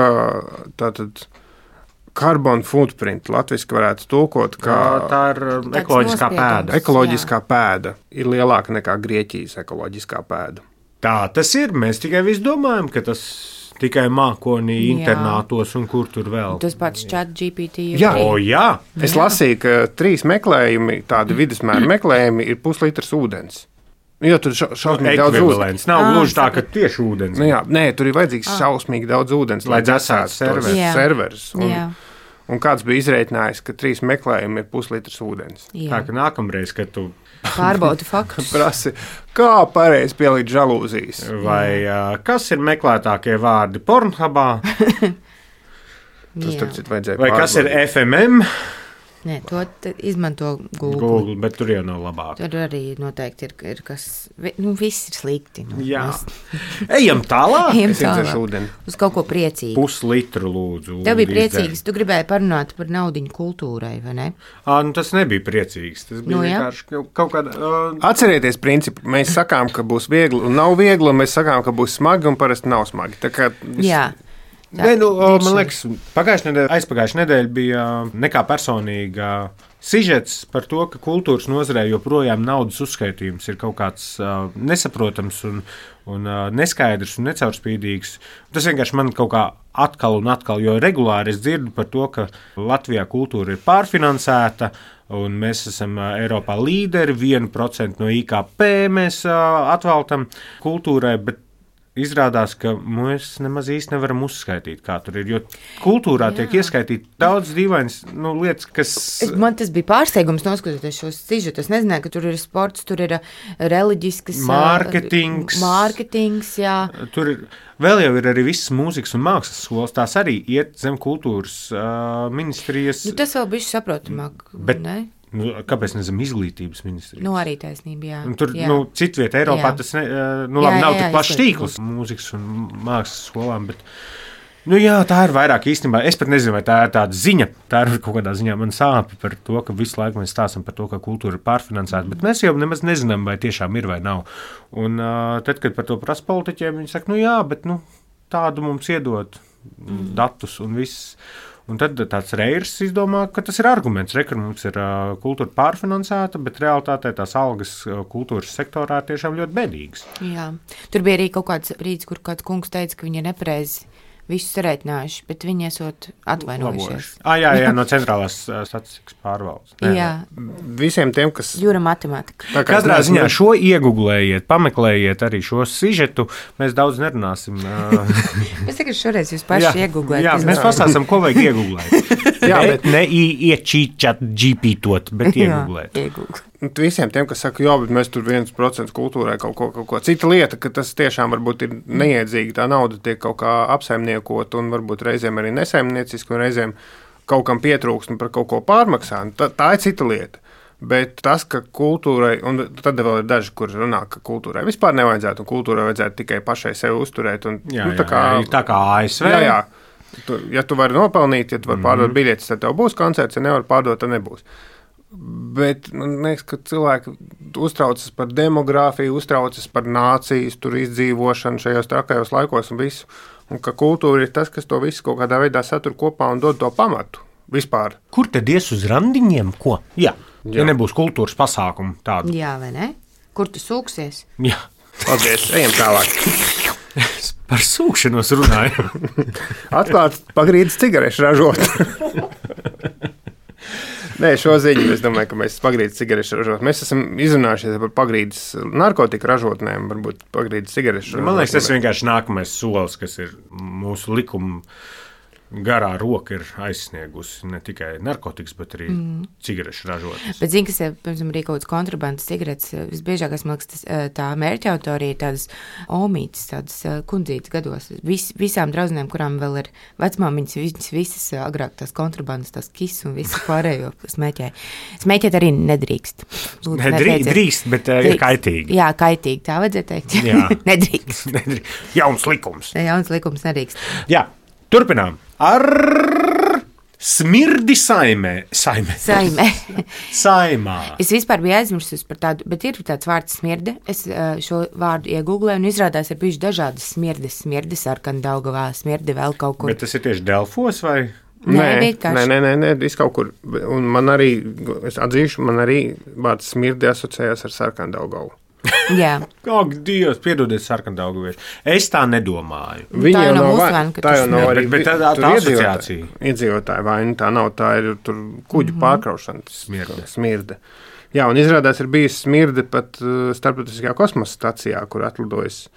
A: tātad carbon footprint latviski varētu tulkot, kā
C: tā ir ekoloģiskā pēda.
A: Ekoloģiskā jā. Pēda ir lielāka nekā Grieķijas ekoloģiskā pēda. Tā
C: tas ir, mēs tikai visi domājam, ka tas tikai mākonī, internātos un kur tur vēl.
B: Tas pats chat G P T.
A: Jā,
C: o, jā.
A: Es jā. lasīju, ka trīs meklējumi, tādi vidusmēra meklējumi, ir puslitrs ūdens. Jo turša, šausmīgi daudz ūdens.
C: Nav gluži tā, ka tieši ūdens.
A: Nu, jā, nē, tur ir vajadzīgs šausmīgi daudz ūdens, lai dzēsētu tos serverus. Un, un kāds bija izreikinājis, ka trīs meklējumi ir puslitrs ūdens.
C: Jā. Tā, ka nākamreiz, kad tu
B: pārbaudu faktus.
A: Prasi, kā pareizi pielikt žalūzijas.
C: Vai uh, kas ir meklētākie vārdi Pornhubā?
A: Tas starp citu vajadzēja
C: Vai
A: pārbaudīt.
C: Kas ir F M M?
B: Nē, to izmanto Google.
C: Google, bet tur jau nav labāk.
B: Tur arī noteikti ir, ir kas, nu, viss ir slikti. Nu,
C: Jā.
B: Mēs...
C: Ejam tālāk.
B: Ejam tālāk. Uz kaut ko priecīgu.
C: Puslitru lūdzu.
B: Tev bija priecīgs, tu gribēji parunāt par naudiņu kultūrai, vai ne?
C: À, nu, tas nebija priecīgs. Tas bija
B: nu,
C: vienkārši kaut kāda... Uh...
A: Atcerieties principu, mēs sakām, ka būs viegli un nav viegli, un mēs sakām, ka būs smagi un parasti nav smagi. Tā kā viss...
B: Jā. Tā,
C: ne, nu, man liekas, pagājušā nedēļa, aizpagājušā nedēļa bija nekā personīga sižets par to, ka kultūras nozarē joprojām naudas uzskaitījums ir kaut kāds uh, nesaprotams un, un uh, neskaidrs un necaurspīdīgs. Tas vienkārši man kaut kā atkal un atkal, jo regulāri es dzirdu par to, ka Latvijā kultūra ir pārfinansēta, un mēs esam uh, Eiropā līderi, vienu procentu no I K P mēs uh, atveltam kultūrai, bet izrādās, ka mēs nemaz īsti nevaram uzskaitīt, kā tur ir. Jo kultūrā Jā. tiek ieskaitīti daudz dīvainas nu, lietas, kas.
B: Man tas bija pārsteigums, noskatoties šos sižetus. Es nezināju, ka tur ir sports, tur ir reliģisks
C: mārketings.
B: Mārketings, jā.
C: Tur ir, vēl jau ir arī visas mūzikas un mākslas skolas. Tās arī iet zem kultūras uh, ministrijas.
B: Nu, tas vēl bišķi saprotamāk,
C: bet,
B: ne?
C: Nu, kāpēc nezinu izglītības ministrijas?
B: Nu, arī taisnība, jā.
C: Un tur,
B: jā.
C: nu, citviet Eiropā jā. tas ne, nu, labi, jā, jā, nav tik plašs tīkls mūzikas un mākslas skolām, bet, nu, jā, tā ir vairāk īstenībā. Es pat nezinu, vai tā ir tāda ziņa, tā ir kaut kādā ziņā man sāpi par to, ka visu laiku mēs stāstam par to, ka kultūra ir pārfinansēta, bet mēs jau nemaz nezinām, vai tiešām ir vai nav. Un uh, tad, kad par to prasa politiķiem, viņi saka, nu jā, bet, nu, tādu mums iedod mm. datus un viss. Un tad tāds Reirs izdomā, ka tas ir arguments. Re, ka mums ir uh, kultūra pārfinansēta, bet realitātē tās algas uh, kultūras sektorā ir tiešām ļoti bēdīgas.
B: Jā. Tur bija arī kaut kāds brīdis, kur kāds kungs teica, ka viņi ir nepareizi visu sarēķinājuši, bet viņi esot atvainojušies.
C: Ah, jā, jā, no centrālās statistikas pārvaldes.
B: Nē, jā.
A: Visiem tiem, kas...
B: Jūra matematika.
C: Katrā ziņā šo ieguglējiet, pameklējiet arī šo sižetu. Mēs daudz nerunāsim.
B: Es tikai šoreiz jūs paši ieguglēt.
C: Jā, mēs pastāstam, ko vajag ieguglēt. Jā, bet ne iečīčat džipītot, bet ieguglēt.
B: Jā, ieguglēt.
A: Visiem tiem, kas saka, jā, bet mēs tur viens procents kultūrai kaut ko, kaut ko. Cita lieta, ka tas tiešām varbūt ir neiedzīgi, tā nauda tiek kaut kā apsaimniekot un varbūt reizēm arī nesaimnieciski un reizēm kaut kam pietrūkst un par kaut ko pārmaksā. Tā, tā ir cita lieta. Bet tas, ka kultūrai, un tad vēl ir daži, kur runā, ka kultūrai vispār nevajadzētu un kultūrai vajadzētu tikai pašai sevi uzturēt. Un,
C: jā,
A: nu, tā kā,
C: jā, tā kā A S V.
A: Jā, jā. Tu, ja tu vari nopelnīt, ja tu vari pārdot mm. biļetes, tad tev būs koncerts, ja nevar pārdot, tad nebūs. Bet man liekas, ka cilvēki uztraucas par demogrāfiju, uztraucas par nācijas tur izdzīvošanu šajos trakajos laikos un visu. Un ka kultūra ir tas, kas to visu kaut kādā veidā satur kopā un dod to pamatu vispār.
C: Kur tad ies uz randiņiem? Ko? Jā, Jā. Ja nebūs kultūras pasākumu tādu.
B: Jā, vai ne? Kur tu sūksies?
C: Jā.
A: Paldies, ejam tālāk.
C: Par sūkšanos runāju.
A: Atklāt pagrīdes cigarešu ražot. Nē, šo ziņu es domāju, ka mēs pagrīdes cigarešu ražot. Mēs esam izrunājušies par pagrīdes narkotika ražotnēm, varbūt pagrīdes cigarešu ražotnēm.
C: Man liekas, tas vienkārši nākamais solis, kas ir mūsu likuma garā roka ir aizsniegusi ne tikai narkotikas, bet arī mm. cigarešu ražotnes.
B: Bet zini, kas ir, piemēram, arī kaut kāds kontrabandas cigaretes, visbiežākais, man liekas, tā mērķa autorija ir tādas omītes, tādas kundzītas gados. Vis, visām draudzenēm, kurām vēl ir vecmāmiņas, viņas visas agrāk tās kontrabandas, tās kis un visu pārējo smēķē. Smēķēt arī nedrīkst. Lūdzu,
C: Nedrīkst, drīkst, bet uh, ir kaitīgi.
B: Jā, kaitīgi, tā vajadzētu teikt.
C: Jā.
B: Nedrīkst.
C: Nedrīkst. Jauns likums.
B: Jauns likums nedrīkst.
C: Jā, turpinām. Ar smirdi saimē. Saimē.
B: Saimē.
C: Saimā.
B: Es vispār biju aizmirsus par tādu, bet ir tāds vārds smirde. Es šo vārdu iegūglēju un izrādās ir bijuši dažādas smirdes. Smirde, sarkana Daugavā, smirde vēl kaut kur.
C: Bet tas ir tieši Delfos vai?
B: Nē,
A: nē, nē, nē, nē, viss kaut kur. Un man arī, es atzīšu, man arī vārds smirdi asociējās ar sarkanu Daugavu.
B: Jā.
C: Ak, Dievs, piedodiet, sarkandaugavieši. Es tā nedomāju.
A: Viņa jau nav vaina,
B: tā
A: jau nav arī,
C: bet, bet tā, tā asociācija.
A: Iedzīvotāja vaina, tā nav, tā ir tur kuģu mm-hmm. pārkraušana. Smirde. Smirde. Jā, un izrādās ir bijis smirde pat uh, starptautiskajā kosmosa stacijā, kur atlidojas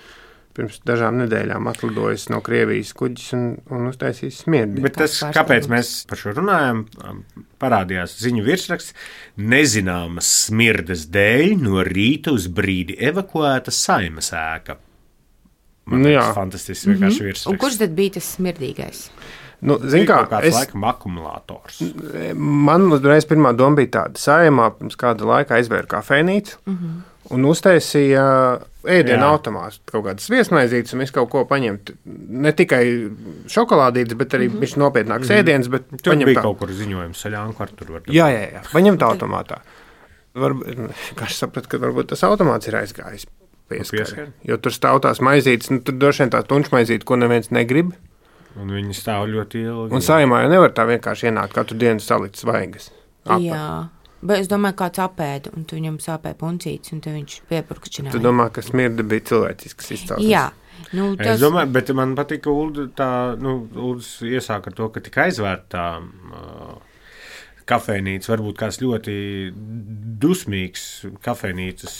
A: pirms dažām nedēļām atlidojas no Krievijas kuģis un, un uztaisīs smirdi.
C: Bet tas, kāpēc mēs par šo runājam, parādījās ziņu virsraksts, nezināmas smirdes dēļ no rīta uz brīdi evakuēta Saeimas ēka. Man
A: nu,
C: tas fantastisks vienkārši virsraksts.
B: Un kurš tad bija tas smirdīgais?
A: Nu, zin kā,
C: kāds
A: es,
C: laikam akumulators.
A: Man uzreiz pirmā doma bija tāda. Saeimā pirms kāda laika aizvēra kafejnīcu mm-hmm. un uztaisīja ēdienu automātu, kaut kādas viesmaizītes un visu kaut ko paņemt. Ne tikai šokolādītes, bet arī mm-hmm. viņš nopietnāks mm-hmm. ēdienas, bet
C: tur
A: paņemt
C: bija
A: tā.
C: kaut kur ziņojums saļānku ar tur var.
A: Jā, jā, jā, paņemt automātā. Varbūt, kā es sapratu, ka varbūt tas automāts ir aizgājis pieskari. Jo tur stāv tās maizītes, nu tur droši vien tā tunčmaizīte, ko neviens negrib.
C: Un viņi stāv ļoti ilgi.
A: Un Saeimā jau nevar tā vienkārši ienākt katru dienu salikt svaigas. Apet.
B: Jā, bet es domāju, kāds apēda, un tu viņam sāpē puncītes, un te viņš piepurkšķināja.
A: Tu domā, ka smirda bija cilvēcisks izcelsmes?
B: Jā. Nu, tas...
C: Es domāju, bet man patīk, ka Ulda tā, nu, Uldas iesāk ar to, ka tika aizvērtā uh, kafejnīca, varbūt kāds ļoti dusmīgs kafejnīcas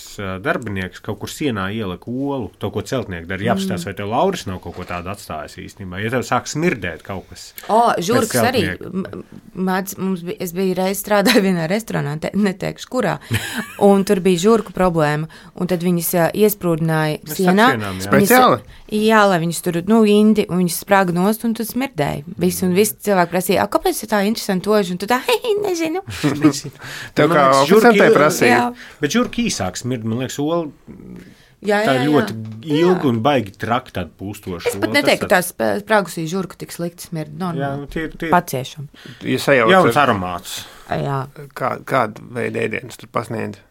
C: darbinieks kaut kur sienā ielika olu, to, ko celtnieki dara. Jāapstās, vai tev Lauris nav kaut ko tādu atstājis īstenībā. Ja tev sāk smirdēt kaut kas.
B: O, žurks arī. Māc, mums bija, es biju reiz strādāju vienā restorānā, te, neteikšu, kurā, un tur bija žurku problēma, un tad viņas iesprūdināja sienā.
C: Sienām, jā.
A: Speciāli?
B: Jā, lai viņas tur, nu, indi, un viņas sprāga nost, un tad smirdēja. Visi, un visi cilvēki prasīja, kāpēc tā interesanti toži, un tu tā, hei, nezinu.
A: Tev kā oficiālai prasīja.
C: Bet žurki īsāk smird, man liekas, ola
B: jā, jā,
C: tā
B: jā.
C: ļoti ilgi un baigi traki tāda pūstoša.
B: Es pat neteiktu, ka tās sprāgusī žurka tik slikti smird. Normāli.
C: Jā, tie, tie...
B: Paciešam.
A: Ja sajauc,
C: jauns aromāts.
B: Jā.
A: Kā, kādu veidu ēdienas tur pasniedz?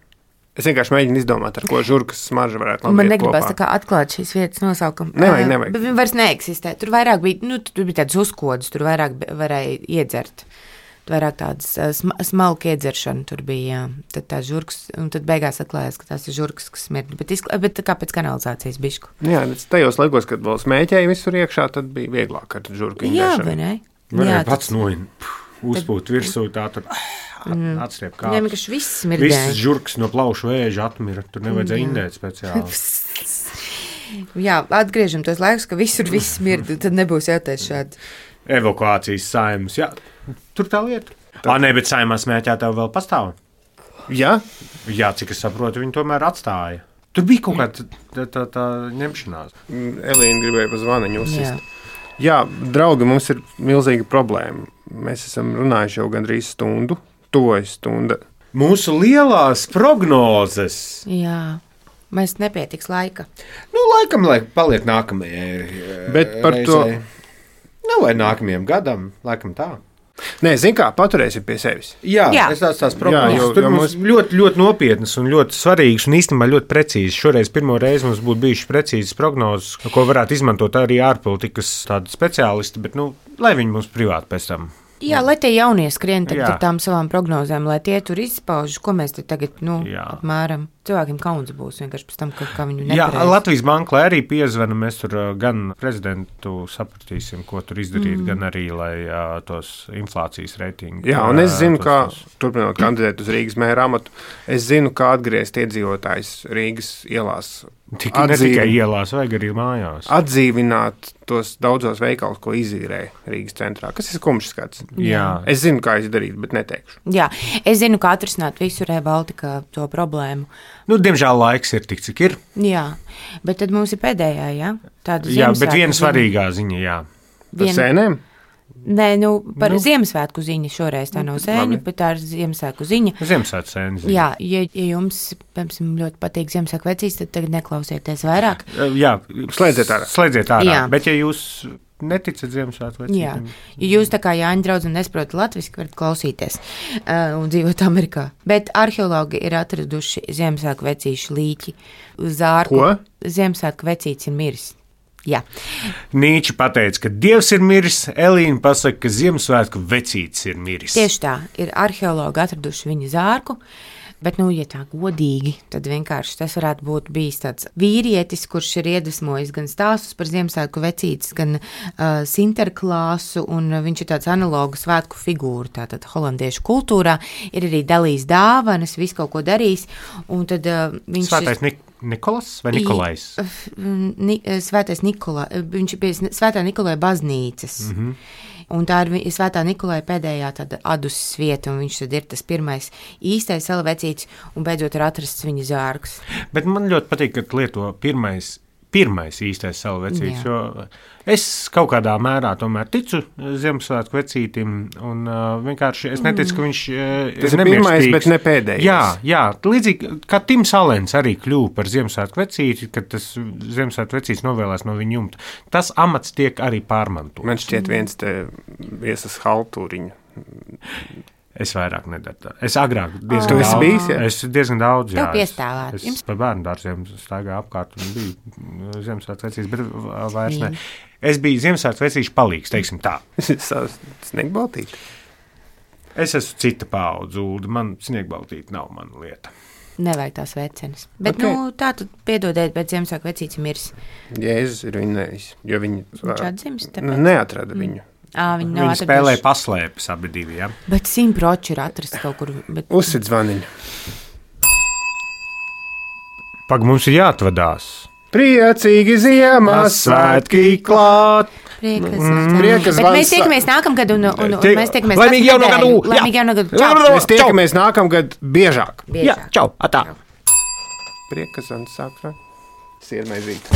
A: Es vienkārši mēģinu izdomāt, ar ko žurkas smarža varētu labi
B: Man
A: iet
B: negribas
A: kopā.
B: tā kā atklāt šīs vietas nosaukumu.
A: Nevajag, nevajag.
B: Bet viņi vairs neeksistē. Tur vairāk bija, nu, tur bija tādas uzkodas, tur vairāk varēja iedzert. Tur vairāk tādas sm smalka iedzeršana tur bija, jā. Tad tā žurkas, un tad beigās atklājās, ka tās ir žurkas, kas smird. Bet, bet kā pēc kanalizācijas bišku.
A: Jā, tajos laikos, kad vēl smēķēja visur iekšā, tad bija vieglāk ar žurku
B: Jā,
A: indēšanu.
B: vai ne?
C: Varēja
B: Jā,
C: pats
B: tas...
C: noin, uzpūt virsū tā tur.
B: Mm.
C: Atstiep
B: Jā,
C: kāpus.
B: vienkārši viss smirdēja.
C: Viss žurks no plaušu vēža atmira. Tur nevajadzēja indēt speciāli.
B: Jā, atgriežam tos laikus, ka visur viss smird, tad nebūs jātais šādi.
C: Evakuācijas Saeimas. Jā, tur tā lieta. Ā, nē, bet Saeimā smēķētāji vēl pastāv.
A: Jā?
C: Jā, cik es saprotu, viņi tomēr atstāja. Tur bija kaut kāda tā, tā, tā ņemšanās.
A: Elīna gribēja pa zvaniņu uzsist. Jā, draugi, mums ir milzīga problēma. Mēs esam runājuši jau gandrīz stundu. Tuvojas stunda.
C: Mūsu lielās prognozes.
B: Jā, mēs nepietiks laika.
C: Nu, laikam, lai paliek nākamajai.
A: Bet par
C: reizei.
A: to.
C: Nu, vai nākamajam gadam, laikam tā.
A: Nē, zin kā, paturēsim pie sevis.
C: Jā,
B: Jā.
C: es tās tās prognozes.
A: Jā, jo-
C: Tur
A: jo
C: mums ļoti, ļoti nopietnas un ļoti svarīgas un īstenībā ļoti precīzas. Šoreiz pirmo reizi mums būtu bijušas precīzas prognozes, ko varētu izmantot arī ārpolitikas tādi speciālisti, bet, nu, lai viņi mums privāti pēc tam.
B: Jā, lai tie jaunie skrien
C: Jā.
B: ar tām savām prognozēm, lai tie tur izpauž, ko mēs te tagad, nu,
C: Jā.
B: apmēram. cilvēkiem kauns būs vienkārši pēc tam, ka, ka viņu nepareiz.
C: Jā, Latvijas banka, lai arī piezvana, mēs tur gan prezidentu sapratīsim, ko tur izdarīt, mm. gan arī, lai uh, tos inflācijas reitingus.
A: Jā, un es zinu, tos, kā, tos... turpinot kandidēt uz Rīgas mēra amatu, es zinu, kā atgriezt iedzīvotājs Rīgas ielās.
C: Tik ne tikai ielās, vajag arī mājās.
A: Atdzīvināt tos daudzos veikalus, ko izīrē Rīgas centrā, kas ir kumšs skats.
C: Jā.
A: Es zinu, kā izdarīt, bet neteikšu.
B: Jā, es zinu, kā atrisināt visu Rail Baltica to problēmu.
C: Nu, diemžēl laiks ir tik, cik ir.
B: Jā, bet tad mums ir pēdējā, jā? Tāda
C: jā, bet viena svarīgā ziņa, jā.
A: Par Vien... sēnēm?
B: Nē, nu, par nu. Ziemassvētku ziņu šoreiz tā nav sēņu, bet tā ir Ziemassvētku ziņa.
C: Ziemassvētku sēņu.
B: Jā, ja, ja jums, piemēram, ļoti patīk Ziemassvētku vecīs, tad tagad neklausieties vairāk.
C: Jā,
A: slēdziet ārā.
C: Slēdziet ārā, jā. Bet ja jūs neticat Ziemassvētku vecītiem.
B: Jā, ja jūs tā kā Jāņa draudz un nesaprotat latviski, varat klausīties uh, un dzīvot Amerikā. Bet arheologi ir atraduši Ziemassvētku vecīšu līķi. Zārku.
A: Ko?
B: Ziemassvētku vecīts ir miris. Jā.
C: Nīči pateica, ka Dievs ir miris, Elīna pasaka, ka Ziemassvētku vecītis ir miris.
B: Tieši tā, ir arheologi atraduši viņa zārku, bet, nu, ja tā godīgi, tad vienkārši tas varētu būt bijis tāds vīrietis, kurš ir iedvesmojis gan stāstus par Ziemassvētku vecītis, gan uh, Sinterklāsu, un viņš ir tāds analogu svētku figūra, tātad holandiešu kultūrā, ir arī dalījis dāvanas, visu kaut ko darījis, un tad uh, viņš...
C: Svētais Nik- Nikolas vai Nikolais?
B: Ni, Svētais Nikolai, viņš ir pie Svētā Nikolai baznīcas. Mm-hmm. Un tā ir Svētā Nikolai pēdējā tāda aduses vieta, un viņš tad ir tas pirmais īstais salavecīts, un beidzot ir atrasts viņa zārks.
C: Bet man ļoti patīk, ka lieto pirmais, pirmais īstais salavecīts, jo es kaut kādā mērā tomēr ticu Ziemassvētku vecītim, un uh, vienkārši es neticu, ka viņš uh,
A: tas ir pirmais, bet ne pēdējais.
C: Jā, jā, līdzīgi kā Tims Alens arī kļuva par Ziemassvētku vecīti, kad tas Ziemassvētku vecītis novēlēs no viņa jumta. Tas amats tiek arī pārmantots.
A: Man šķiet viens te viesas haltūriņu.
C: Es vairāk nedaru tā. Es agrāk diezgan
A: oh.
C: daudz.
A: Bijis, ja?
C: Es diezgan daudz, jā.
B: Tev piestāvāt.
C: Es, es par bērnu dārziem staigāju apkārt un biju Ziemassvētku vecītis, bet vairs ne. Es biju Ziemassvētku vecīšu palīgs, teiksim tā.
A: Sniegbaltīt?
C: Es esmu cita paudze, Ulda. Man sniegbaltīt nav mana lieta.
B: Nevajag tās vecenes. Bet, okay. nu, tā tad piedodiet, bet Ziemassvētku vecītis ir miris.
A: Jēzus ir viņa nevis, jo viņi...
B: Viņš atzims, tāpēc?
A: Neatrada viņu.
B: Mm. À, viņi
C: viņi spēlēja paslēpes abi divi, jā.
B: Bet simtproči ir atrasts kaut kur. Bet...
A: Uzsit zvaniņu.
C: Pag, mums ir jāatvadās.
A: Priecīgi Ziemassvētki klāt.
B: Priekas,
A: mm, priekas
B: bet mēs tiekamies nākamgad un, un, un
C: Tie,
B: mēs tiekamies
C: laimīgi jauno gadu.
B: Laimīgi jauno gadu. Čau.
A: Mēs tiekamies nākamgad biežāk.
B: biežāk.
C: Jā, čau, atā.
A: Priekas un sākra. Siermaizīt.